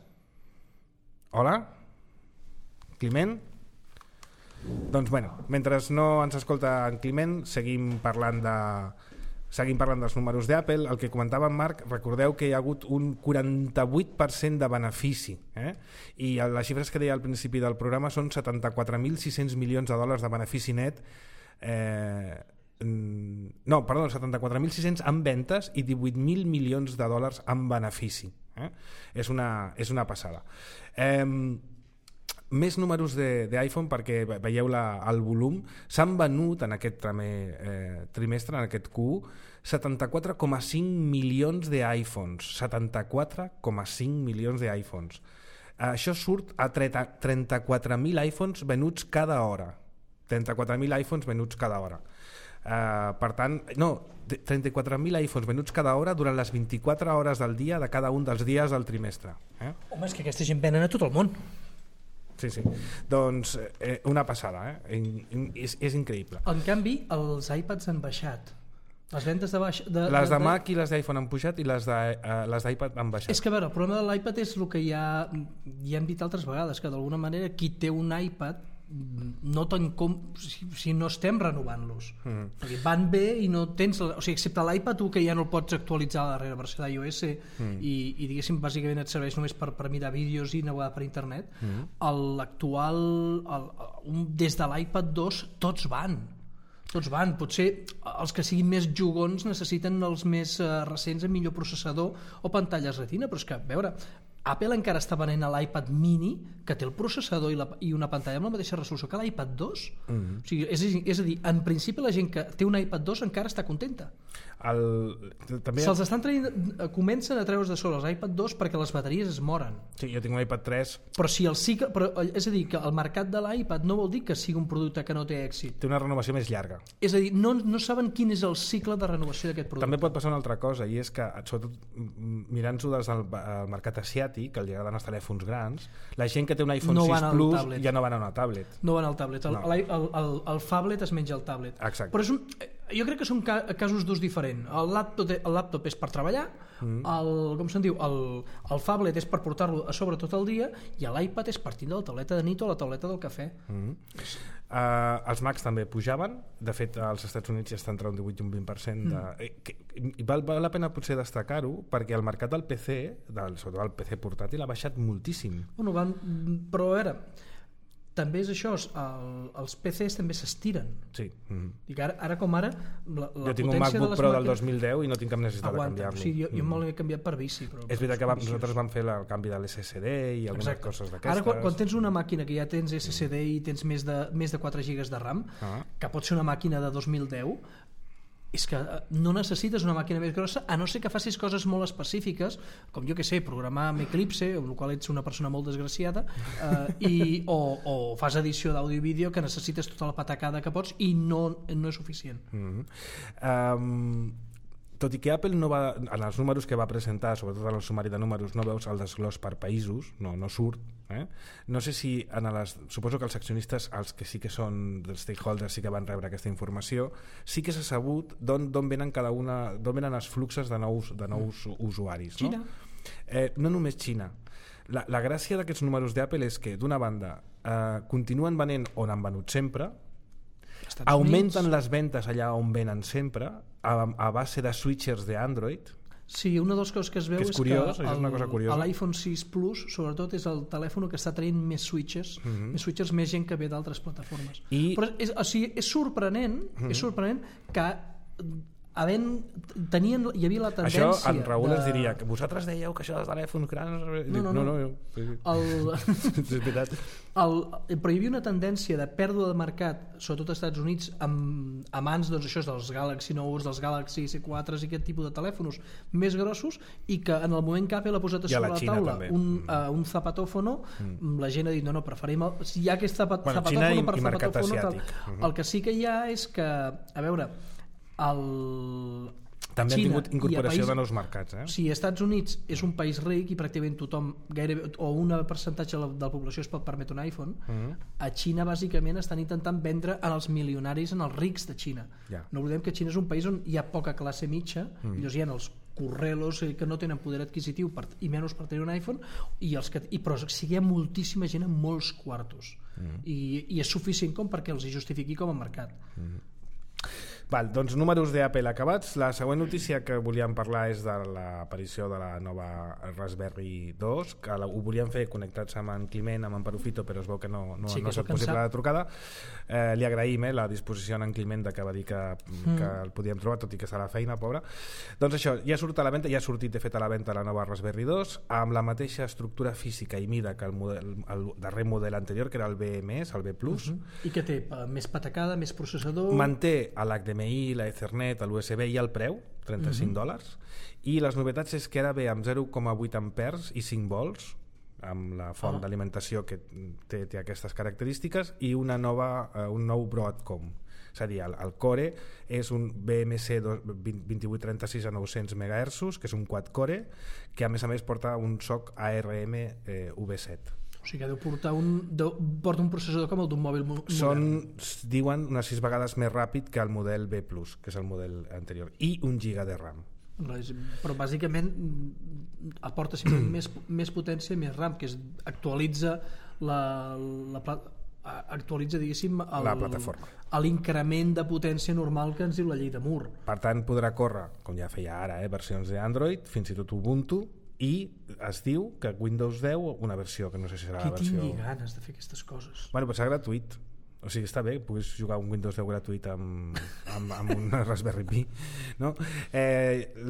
Hola? Climent? Doncs bueno, mentre no ens escolta en Climent, seguim parlant dels números d'Apple. El que comentava en Marc, recordeu que hi ha hagut un 48% de benefici, i les xifres que deia al principi del programa són 74.600 milions de dòlars de benefici net, 74.600 en ventes i 18.000 milions de dòlars en benefici. És una passada. Més números d'iPhone, perquè veieu el volum. S'han venut en aquest trimestre, en aquest Q1, 74,5 milions d'iPhones. 74,5 milions d'iPhones. Això surt a 34.000 iPhones venuts cada hora. 34.000 iPhones venuts cada hora. Per tant, no, 34.000 iPhones venuts cada hora durant les 24 hores del dia de cada un dels dies del trimestre. Home, és que aquesta gent venen a tot el món. Sí. Doncs una passada, és increïble. En canvi, els iPads han baixat. Les ventes les de Mac i les d'iPhone han pujat i les d'iPad han baixat. És que, a veure, el problema de l'iPad és el que ja hem dit altres vegades, que d'alguna manera qui té un iPad no si no estem renovant-los, perquè van bé i no tens, o sigui, excepte l'iPad 1 que ja no el pots actualitzar a la darrera versió d'iOS i diguéssim bàsicament et serveix només per mirar vídeos i navegar per internet. L'actual des de l'iPad 2 tots van, potser els que siguin més jugons necessiten els més recents amb millor processador o pantalles retina, però és que, a veure, Apple encara està venent a l'iPad mini que té el processador i una pantalla amb la mateixa resolució que l'iPad 2. O sigui, és a dir, en principi la gent que té un iPad 2 encara està contenta. Se'ls estan traient, comencen a treure's de sobre els iPad 2 perquè les bateries es moren. Sí, jo tinc un iPad 3. Però és a dir, que el mercat de l'iPad no vol dir que sigui un producte que no té èxit. Té una renovació més llarga. És a dir, no saben quin és el cicle de renovació d'aquest producte. També pot passar una altra cosa, i és que, sobretot mirant-s'ho des del mercat asiàtic, que els agraden els telèfons grans, la gent que té un iPhone 6 Plus ja no van a una tablet. No van al tablet. El phablet es menja el tablet. Exacte. Però jo crec que són casos d'ús diferent. El laptop és per treballar, el phablet és per portar-lo a sobre tot el dia i l'iPad és per tindre la tauleta de nit o la tauleta del cafè. Els Macs també pujaven, de fet als Estats Units ja està entre un 18 i un 20%. Val la pena potser destacar-ho perquè el mercat del PC, sobretot el PC portàtil, ha baixat moltíssim. Però a veure, també és això, els PCs també s'estiren. Sí. I ara com ara jo tinc un MacBook Pro del 2010 i no tinc cap necessitat de canviar-lo. Sí, jo me l'he canviat per bici. És veritat que nosaltres vam fer el canvi de l'SSD i algunes coses d'aquestes. Ara quan tens una màquina que ja tens SSD i tens més de 4 GB de RAM, que pot ser una màquina de 2010, és que no necessites una màquina més grossa a no ser que facis coses molt específiques, com jo que sé, programar amb Eclipse, amb la qual ets una persona molt desgraciada, o fas edició d'àudio i vídeo que necessites tota la patacada que pots i no és suficient. Tot i que Apple no va, en els números que va presentar, sobretot en el sumari de números, no veus el desglòs per països, no surt. No sé si suposo que els accionistes, els que sí que són dels stakeholders, sí que van rebre aquesta informació, sí que s'ha sabut d'on venen d'on venen els fluxos de nous usuaris. Xina. No només Xina. La gràcia d'aquests números d'Apple és que, d'una banda, continuen venent on han venut sempre, augmenten les ventes allà on venen sempre a base de switchers d'Android. Sí, una de les coses que es veu és curiós, que l'iPhone 6 Plus sobretot és el telèfon que està traient més switchers, més gent que ve d'altres plataformes. Però és sorprenent que hi havia la tendència això en Raül ens diria que vosaltres dèieu que això dels telèfons grans no. És veritat. Però hi havia una tendència de pèrdua de mercat, sobretot als Estats Units, a mans dels Galaxy Notes, dels Galaxy S4 i aquest tipus de telèfons més grossos, i que en el moment que Apple ha posat a sobre la taula un zapatòfono, la gent ha dit no, preferim hi ha aquest zapatòfono per zapatòfono. El que sí que hi ha és que, a veure, també han tingut incorporació de nous mercats. Sí, als Estats Units és un país ric i pràcticament tothom, gairebé, o un percentatge de la població es pot permetre un iPhone. A Xina bàsicament estan intentant vendre als milionaris, als rics de Xina. No oblidem que Xina és un país on hi ha poca classe mitja, llavors hi ha els correlos que no tenen poder adquisitiu i menys per tenir un iPhone, però sí que hi ha moltíssima gent amb molts quartos i és suficient com perquè els hi justifiqui com a mercat. Doncs números d'Apple acabats. La següent notícia que volíem parlar és de l'aparició de la nova Raspberry 2, que ho volíem fer connectats amb en Climent, amb en Perufito, però es veu que no ha estat possible la trucada. Li agraïm la disposició en Climent que va dir que el podíem trobar, tot i que està a la feina, pobre. Doncs això, ja surt a la venda, ja ha sortit de fet a la venda la nova Raspberry 2 amb la mateixa estructura física i mida que el darrer model anterior, que era el BMS, el B+. I que té més patacada, més processador. Manté l'HDMI, la Ethernet, l'USB i el preu, $35, i les novetats és que ara ve amb 0,8 amperes i 5 volts, amb la font d'alimentació que té aquestes característiques, i un nou Broadcom. És a dir, el Core és un BMC 2836 a 900 MHz, que és un quad-core, que a més porta un SoC ARM V7. O sigui que porta un processador com el d'un mòbil modern. Diuen unes 6 vegades més ràpid que el model B+, que és el model anterior, i 1 GB de RAM. Però bàsicament aporta simplement més potència i més RAM, que actualitza actualitza, diguéssim, la plataforma, l'increment de potència normal que ens diu la llei de Moore. Per tant, podrà córrer, com ja feia ara, versions d'Android, fins i tot Ubuntu, i es diu que Windows 10, una versió que no sé si serà la versió... Qui tingui ganes de fer aquestes coses? Bueno, però serà gratuït. O sigui, està bé, puguis jugar un Windows 10 gratuït amb un Raspberry Pi, no?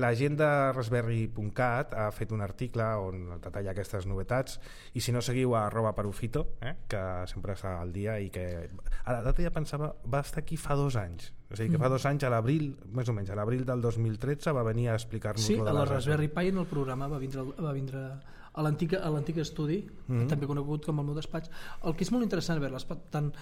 La gent de Raspberry.cat ha fet un article on detalla aquestes novetats, i si no, seguiu a @perufito, que sempre està al dia, i que a la data ja pensava va estar aquí fa 2 anys. O sigui que fa 2 anys, a l'abril, més o menys, a l'abril del 2013 va venir a explicar-nos... Sí, a la Raspberry Pi en el programa va vindre a l'antic estudi, també conegut com el meu despatx. El que és molt interessant veure-les, tant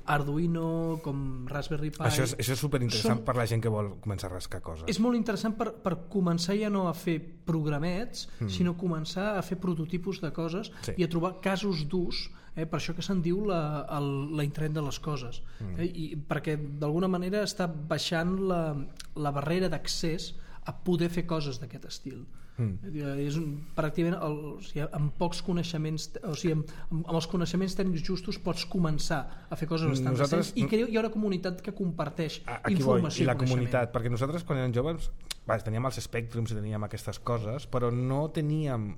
Arduino com Raspberry Pi... Això és superinteressant per la gent que vol començar a rascar coses. És molt interessant per començar ja no a fer programets, sinó començar a fer prototipus de coses i a trobar casos d'ús, per això que se'n diu la internet de les coses, i perquè d'alguna manera està baixant la barrera d'accés a poder fer coses d'aquest estil. És pràcticament amb pocs coneixements, o sigui, amb els coneixements tècnics justos pots començar a fer coses bastant recents, i hi ha una comunitat que comparteix informació i la coneixement. Comunitat, perquè nosaltres quan érem joves teníem els Spectrums i teníem aquestes coses, però no teníem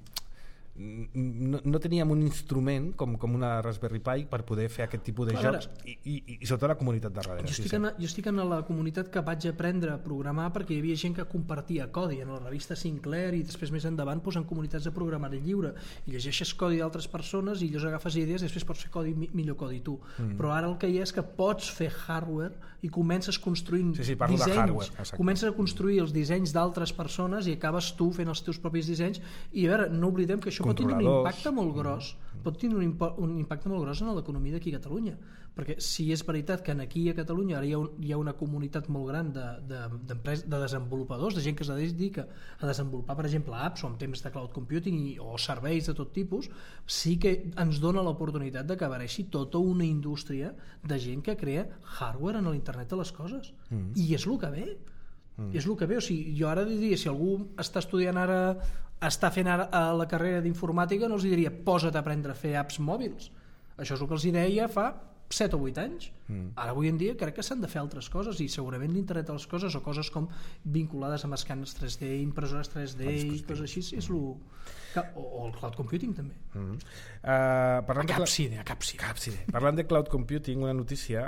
un instrument com una Raspberry Pi per poder fer aquest tipus de jocs, i sobretot la comunitat de darrere. Jo estic en la comunitat que vaig aprendre a programar perquè hi havia gent que compartia codi en la revista Sinclair, i després més endavant en comunitats de programari lliure, i llegeixes codi d'altres persones i llavors agafes idees i després pots fer millor codi tu. Però ara el que hi ha és que pots fer hardware i comences construint dissenys, comences a construir els dissenys d'altres persones i acabes tu fent els teus propis dissenys, i a veure, no oblidem que això pot tenir un impacte molt gros, un impacte molt gros en l'economia d'aquí a Catalunya, perquè si és veritat que aquí a Catalunya ara hi ha una comunitat molt gran de desenvolupadors, de gent que es dedica a desenvolupar, per exemple, apps o en temps de cloud computing o serveis de tot tipus, sí que ens dona l'oportunitat de que apareixi tota una indústria de gent que crea hardware en l'internet de les coses, i és el que ve. És el que ve. O sigui, jo ara diria, si algú està estudiant ara, està fent ara la carrera d'informàtica, no els diria posa't a aprendre a fer apps mòbils. Això és el que els deia fa 7 o 8 anys. Ara avui en dia crec que s'han de fer altres coses, i segurament l'internet de les coses o coses com vinculades amb escàners 3D, impressores 3D i coses així, és o el cloud computing també. A Capside. Parlant de cloud computing, una notícia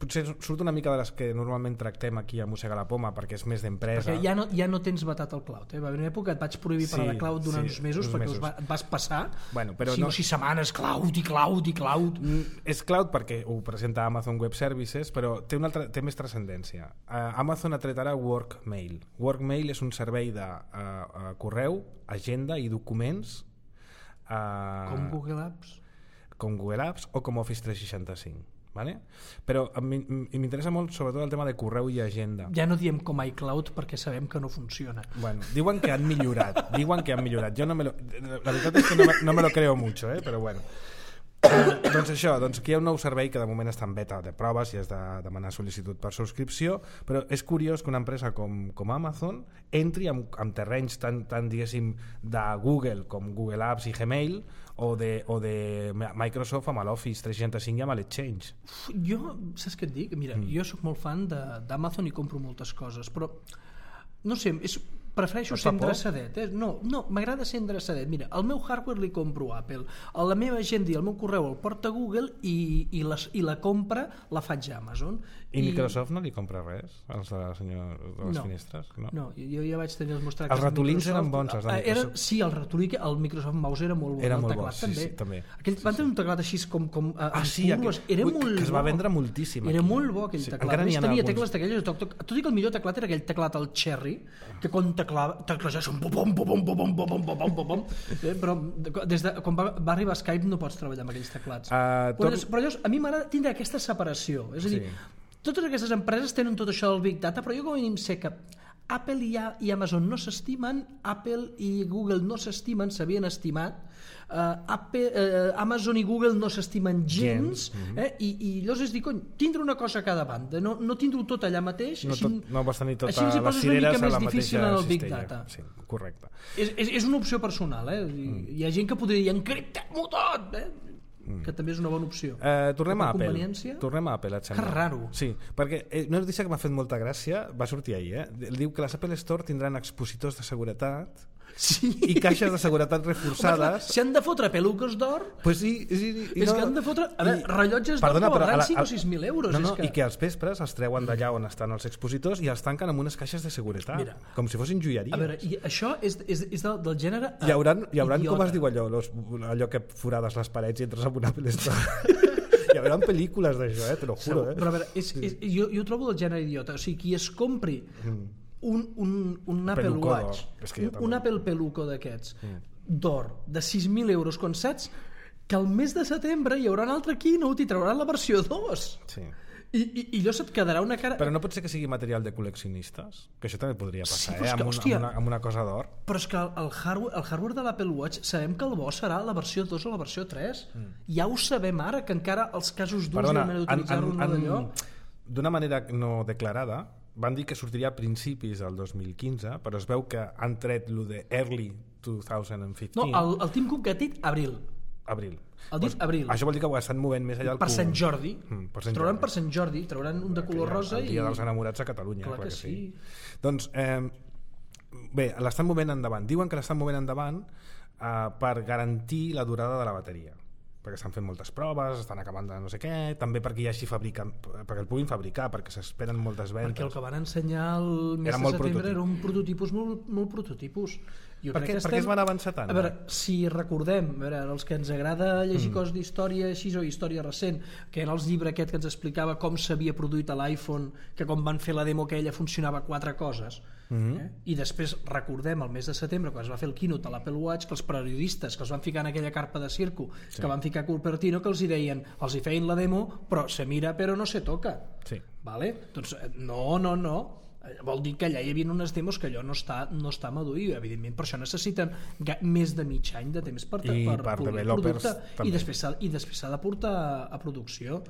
potser surt una mica de les que normalment tractem aquí a Mossega la Poma, perquè és més d'empresa, perquè ja no tens vetat el cloud, va haver una època que et vaig prohibir parlar de cloud durant uns mesos perquè et vas passar 5 o 6 setmanes cloud. És cloud perquè ho presenta Amazon Web Services, però té més transcendència. Amazon ha tret ara Workmail. Workmail és un servei de correu, agenda i documents com Google Apps o com Office 365, vale? Però m'interessa molt sobretot el tema de correu i agenda. Ja no diem com iCloud perquè sabem que no funciona. Bueno, diuen que han millorat. Jo la veritat és que no me lo creo mucho, però bueno. Doncs això, aquí hi ha un nou servei que de moment està en beta de proves i has de demanar sol·licitud per subscripció, però és curiós que una empresa com Amazon entri amb terrenys tan diguéssim de Google com Google Apps i Gmail, o de Microsoft amb l'Office 365 i amb l'Exchange. Jo, saps què et dic? Mira, jo sóc molt fan d'Amazon i compro moltes coses, però no sé, prefereixo ser endreçadet. No, m'agrada ser endreçadet. Mira, el meu hardware li compro a Apple, la meva agenda i el meu correu el porta Google, i la compra la faig a Amazon. I Microsoft no li compra res als de les finestres? No, jo ja vaig tenir els meus tractes. Els ratolins eren bons, els de Microsoft. Sí, el ratolí, el Microsoft Mouse era molt bo. Era molt bo, també. Aquell van tenir un teclat així com era molt bo. Que es va vendre moltíssim. Era molt bo aquell teclat. Tenia tecles d'aquelles, tot i que el millor teclat era aquell teclat, el Cherry, que quan teclejar són però des de quan va arribar Skype no pots treballar amb aquells teclats. Però llavors a mi m'agrada tindre aquesta separació, és a dir, totes aquestes empreses tenen tot això del Big Data, però jo com a mínim sé que Apple i Amazon no s'estimen, Apple i Google no s'estimen, s'havien estimat, Amazon i Google no s'estimen gens, i llavors és dir, cony, tindre una cosa a cada banda, no tindre-ho tot allà mateix, no vas tenir totes les cireres a la mateixa més difícil en el Big cistella. Data. Sí, correcte. És una opció personal, hi ha gent que podria dir encriptem-ho tot, que també és una bona opció. Tornem a Apple, et sembla? Que raro. Sí, perquè una notícia que m'ha fet molta gràcia va sortir ahir, diu que les Apple Store tindran expositors de seguretat i caixes de seguretat reforçades. Si han de fotre pelucos d'or, pues sí, és que han de fotre rellotges d'or que valdran 5 o 6.000 euros. I que als vespres els treuen d'allà on estan els expositors i els tanquen amb unes caixes de seguretat, com si fossin joieries. A veure, i això és del gènere hi hauran com es diu allò que forades les parets i entres en una Apple Store. Hi haurà pel·lícules d'això, te lo juro. Però a veure, jo ho trobo del gènere idiota. O sigui, qui es compri un Apple Watch, un Apple Peluco d'aquests d'or de 6.000 euros, quan saps que al mes de setembre hi haurà un altre keynote i trauran la versió 2. Sí. I allò se't quedarà una cara... Però no pot ser que sigui material de col·leccionistes? Que això també podria passar, amb una cosa d'or. Però és que el hardware de l'Apple Watch sabem que el bo serà la versió 2 o la versió 3. Ja ho sabem ara, que encara els casos durs i la manera d'utilitzar-lo no d'allò... D'una manera no declarada, van dir que sortiria a principis del 2015, però es veu que han tret lo de early 2015. No, el Tim Cook ha dit abril. Abril. Abril. Això vol dir que ho estan movent més allà per Sant Jordi. Trauran per Sant Jordi, trauran un de color rosa el dia dels enamorats a Catalunya. Clar que sí. Doncs bé, l'estan movent endavant. Diuen que l'estan movent endavant per garantir la durada de la bateria, perquè estan fent moltes proves, estan acabant de no sé què, també perquè hi hagi perquè el puguin fabricar, perquè s'esperen moltes ventes. Perquè el que van ensenyar el mes de setembre era un prototipus molt prototipus. Per què es van avançar tant? A veure, si recordem, els que ens agrada llegir coses d'història així o història recent, que en els llibres aquest que ens explicava com s'havia produït a l'iPhone, que quan van fer la demo aquella funcionava 4 coses, i després recordem el mes de setembre quan es va fer el keynote a l'Apple Watch, que els periodistes que els van ficar en aquella carpa de circo, que van ficar Cupertino, que els hi deien, els hi feien la demo però se mira però no se toca. Vale? Doncs no, vol dir que allà hi havia unes demos que allò no està madur, i evidentment per això necessiten més de mig any de temps per polir el producte, i després s'ha de portar a producció,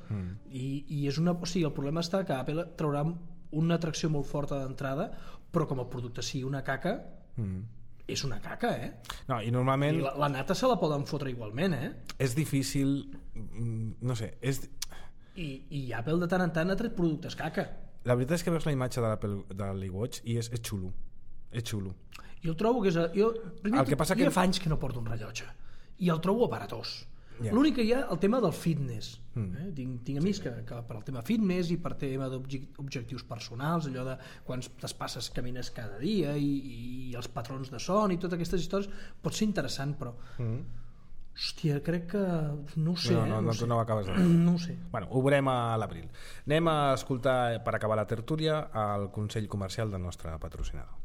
i és o sigui, el problema està que Apple traurà una atracció molt forta d'entrada, però com el producte sigui una caca, és una caca, No, i normalment... I la nata se la poden fotre igualment, És difícil, no sé, I Apple de tant en tant ha tret productes caca. La veritat és que veus la imatge de l'iWatch i és xulo. És xulo. Jo el trobo que és... Jo fa anys que no porto un rellotge i el trobo aparatós. L'únic que hi ha el tema del fitness. Tinc amics que per al tema fitness i per tema d'objectius personals, allò de quants passes camines cada dia i els patrons de son i totes aquestes històries, pot ser interessant, però... Hòstia, crec que... No ho sé, no ho acabes de dir. No ho sé. Bueno, ho veurem a l'abril. Anem a escoltar, per acabar la tertúlia, el consell comercial del nostre patrocinador.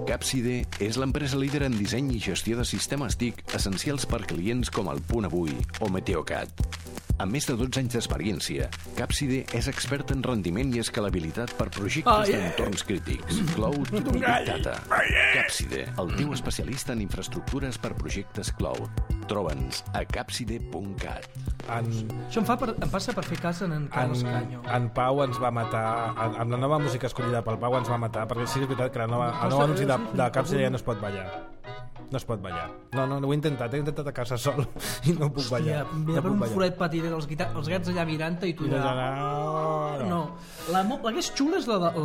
Capside és l'empresa líder en disseny i gestió de sistemes TIC essencials per clients com el Punt Avui o Meteocat. Amb més de 12 anys d'experiència, Capside és expert en rendiment i escalabilitat per projectes d'entorns crítics, cloud i Big Data. Capside, el teu especialista en infraestructures per projectes cloud. Troba'ns a capside.cat. Això em passa per fer cas en Carles Canyo. En Pau ens va matar, amb la nova música escollida pel Pau ens va matar, perquè sí que és veritat que el nou anunci de Capside ja no es pot ballar. No es pot ballar. No, ho he intentat a casa sol i no puc ballar. Hòstia, mira per un forat petit els gats allà mirant-te i tu allà... No. La que és xula és la del...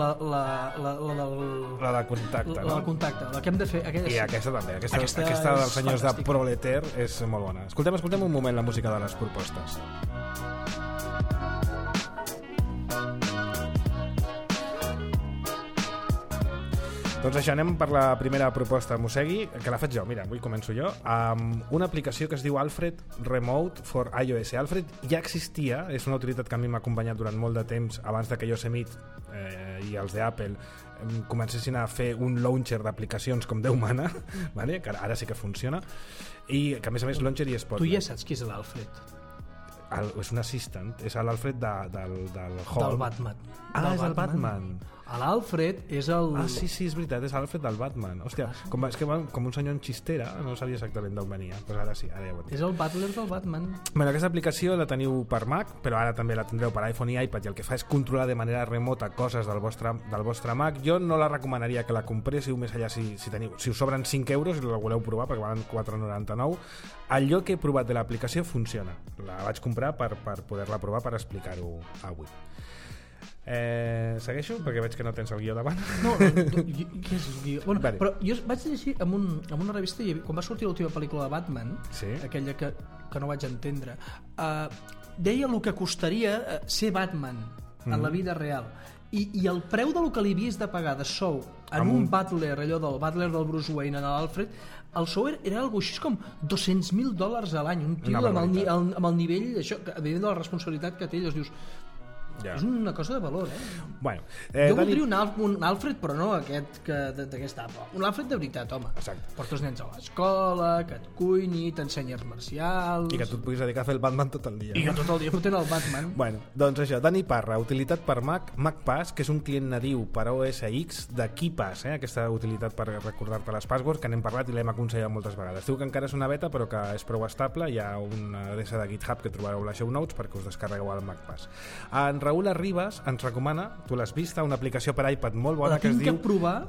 La de contacte, no? La de contacte, la que hem de fer... I aquesta també. Aquesta dels senyors de Proleter és molt bona. Escoltem un moment la música de les propostes. Doncs això, anem per la primera proposta, Mossegui, que la faig jo, mira, avui començo jo, amb una aplicació que es diu Alfred Remote for iOS. Alfred ja existia, és una utilitat que a mi m'ha acompanyat durant molt de temps, abans de que Yosemite i els d'Apple comencessin a fer un launcher d'aplicacions com Déu mana, vale? Que ara sí que funciona, i que a més launcher i Spotlight. Tu ja saps qui és l'Alfred. És un assistant, és l'Alfred del Hall. Del Batman. És el Batman. L'Alfred és el... Sí, és veritat, és l'Alfred del Batman. Hòstia, és que va com un senyor en xistera, no sabia exactament d'on venia. Però ara sí, ara ja ho entenc. És el butler del Batman. Bueno, aquesta aplicació la teniu per Mac, però ara també la tindreu per iPhone i iPad, i el que fa és controlar de manera remota coses del vostre Mac. Jo no la recomanaria que la compréssiu més allà si us sobren 5 euros i la voleu provar, perquè valen 4,99. Allò que he provat de l'aplicació funciona. La vaig comprar per poder-la provar, per explicar-ho avui. Segueixo? Perquè veig que no tens el guió davant. No, què és el guió? Bueno, vale. Però jo vaig llegir en una revista, quan va sortir l'última pel·lícula de Batman, sí? Aquella que no vaig entendre, deia el que costaria ser Batman en la vida real, i el preu del que li havies de pagar de sou en un butler, allò del butler del Bruce Wayne en l'Alfred, el sou era algo així com $200,000 a l'any, un tio amb el nivell això, evident de la responsabilitat que té, llavors dius, ja. És una cosa de valor, Bueno, jo voldria un Alfred, però no aquest d'aquest etapa. Un Alfred de veritat, home. Exacte. Porta els nens a l'escola, que et cuini, t'ensenya arts marcials... I que tu et puguis dedicar a fer el Batman tot el dia. I que tot el dia fotent el Batman. Bueno, doncs això, Dani Parra, utilitat per Mac, MacPass, que és un client nadiu per a OS X de KeePass, aquesta utilitat per recordar-te les passwords, que n'hem parlat i l'hem aconsellat moltes vegades. Diu que encara és una beta, però que és prou estable. Hi ha una adreça de GitHub que trobareu a les show notes perquè us descarregueu el MacPass. En Raül Arribas ens recomana, tu l'has vista, una aplicació per iPad molt bona que es diu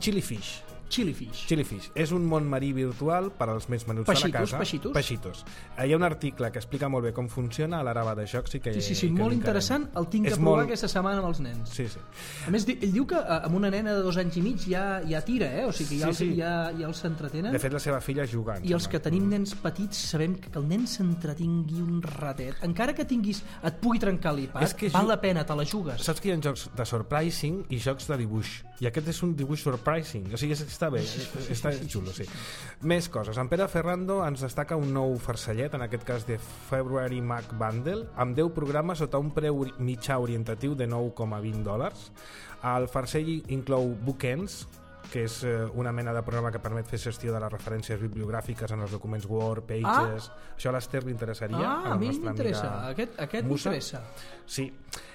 Chilifish. Chilifish. És un món marí virtual per als més menuts de la casa. Pechitos. Hi ha un article que explica molt bé com funciona a l'Arava de Jocs. Sí, molt interessant. El tinc que provar aquesta setmana amb els nens. Sí. A més, ell diu que amb una nena de 2 anys i mig ja tira, o sigui que ja els s'entretenen. De fet, la seva filla jugant. I els que tenim nens petits sabem que el nen s'entretingui un ratet. Encara que et pugui trencar l'iPad, val la pena, te la jugues. Saps que hi ha jocs de surprising i jocs de dibuix. I aquest és un dibuix surprising. O sigui, està bé, està xulo, sí. Més coses. En Pere Ferrando ens destaca un nou farcellet, en aquest cas de February Mac Bundle, amb 10 programes sota un preu mitjà orientatiu de $9,20. El farcell inclou Bookends, que és una mena de programa que permet fer gestió de les referències bibliogràfiques en els documents Word, Pages... Això a l'Ester li interessaria. A mi m'interessa. Aquest m'interessa. Sí.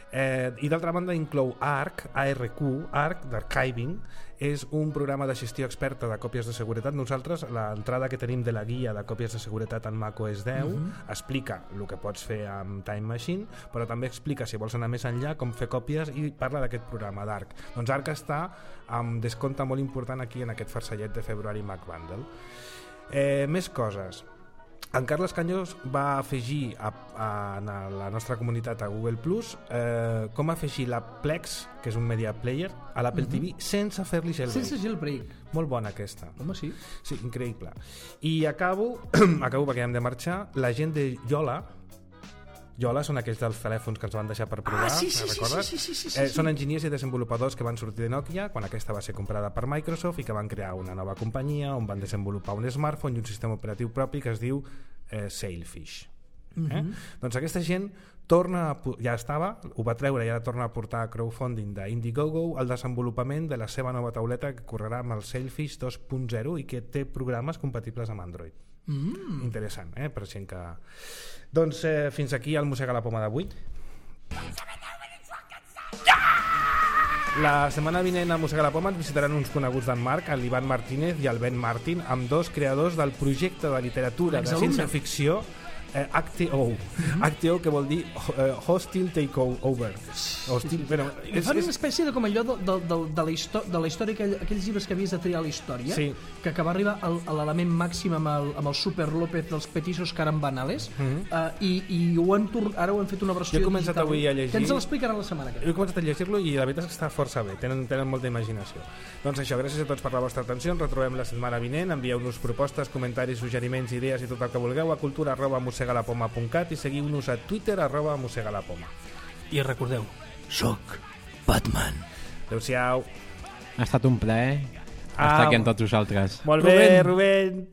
I d'altra banda inclou ARC d'Archiving. És un programa de gestió experta de còpies de seguretat. Nosaltres, l'entrada que tenim de la guia de còpies de seguretat en macOS 10 explica el que pots fer amb Time Machine, però també explica, si vols anar més enllà, com fer còpies, i parla d'aquest programa d'ARC. Doncs ARC està amb descompte molt important aquí en aquest farcellet de February Mac Bundle. Més coses. En Carles Cañós va afegir a la nostra comunitat a Google Plus com afegir la Plex, que és un media player, a l'Apple TV sense fer-li jailbreak. Sense jailbreak. Molt bona aquesta. Home, sí. Sí, increïble. I acabo perquè hem de marxar, la gent de Yola són aquells dels telèfons que ens van deixar per provar, sí. Són enginyers i desenvolupadors que van sortir de Nokia quan aquesta va ser comprada per Microsoft i que van crear una nova companyia on van desenvolupar un smartphone i un sistema operatiu propi que es diu Sailfish. Doncs aquesta gent ja estava, ho va treure i ara torna a portar a crowdfunding d'Indiegogo el desenvolupament de la seva nova tauleta que correrà amb el Sailfish 2.0 i que té programes compatibles amb Android. Interessant, per gent que... Doncs fins aquí el Mossega la Poma d'avui. La setmana vinent a Mossega la Poma ens visitaran uns coneguts d'en Marc, l'Ivan Martínez i el Ben Martin, amb dos creadors del projecte de literatura de ciència-ficció HTO, que vol dir Hostile Takeover. Fan una espècie de com allò de la història, aquells llibres que havies de triar a la història, que va arribar a l'element màxim amb el Super López dels Petisos Carambanales, i ara ho han fet una versió digital. Jo he començat avui a llegir. Que ens l'explicaran la setmana que ve. Jo he començat a llegir-lo i la veritat és que està força bé, tenen molta imaginació. Doncs això, gràcies a tots per la vostra atenció, ens retrobem la setmana vinent, envieu-nos propostes, comentaris, suggeriments, idees i tot el que vulgueu a cultura@mossegalapoma.cat i seguiu-nos a Twitter @mossegalapoma. I recordeu, soc Batman. Adéu-siau. Ha estat un plaer estar aquí amb tots vosaltres. Molt bé, Rubén.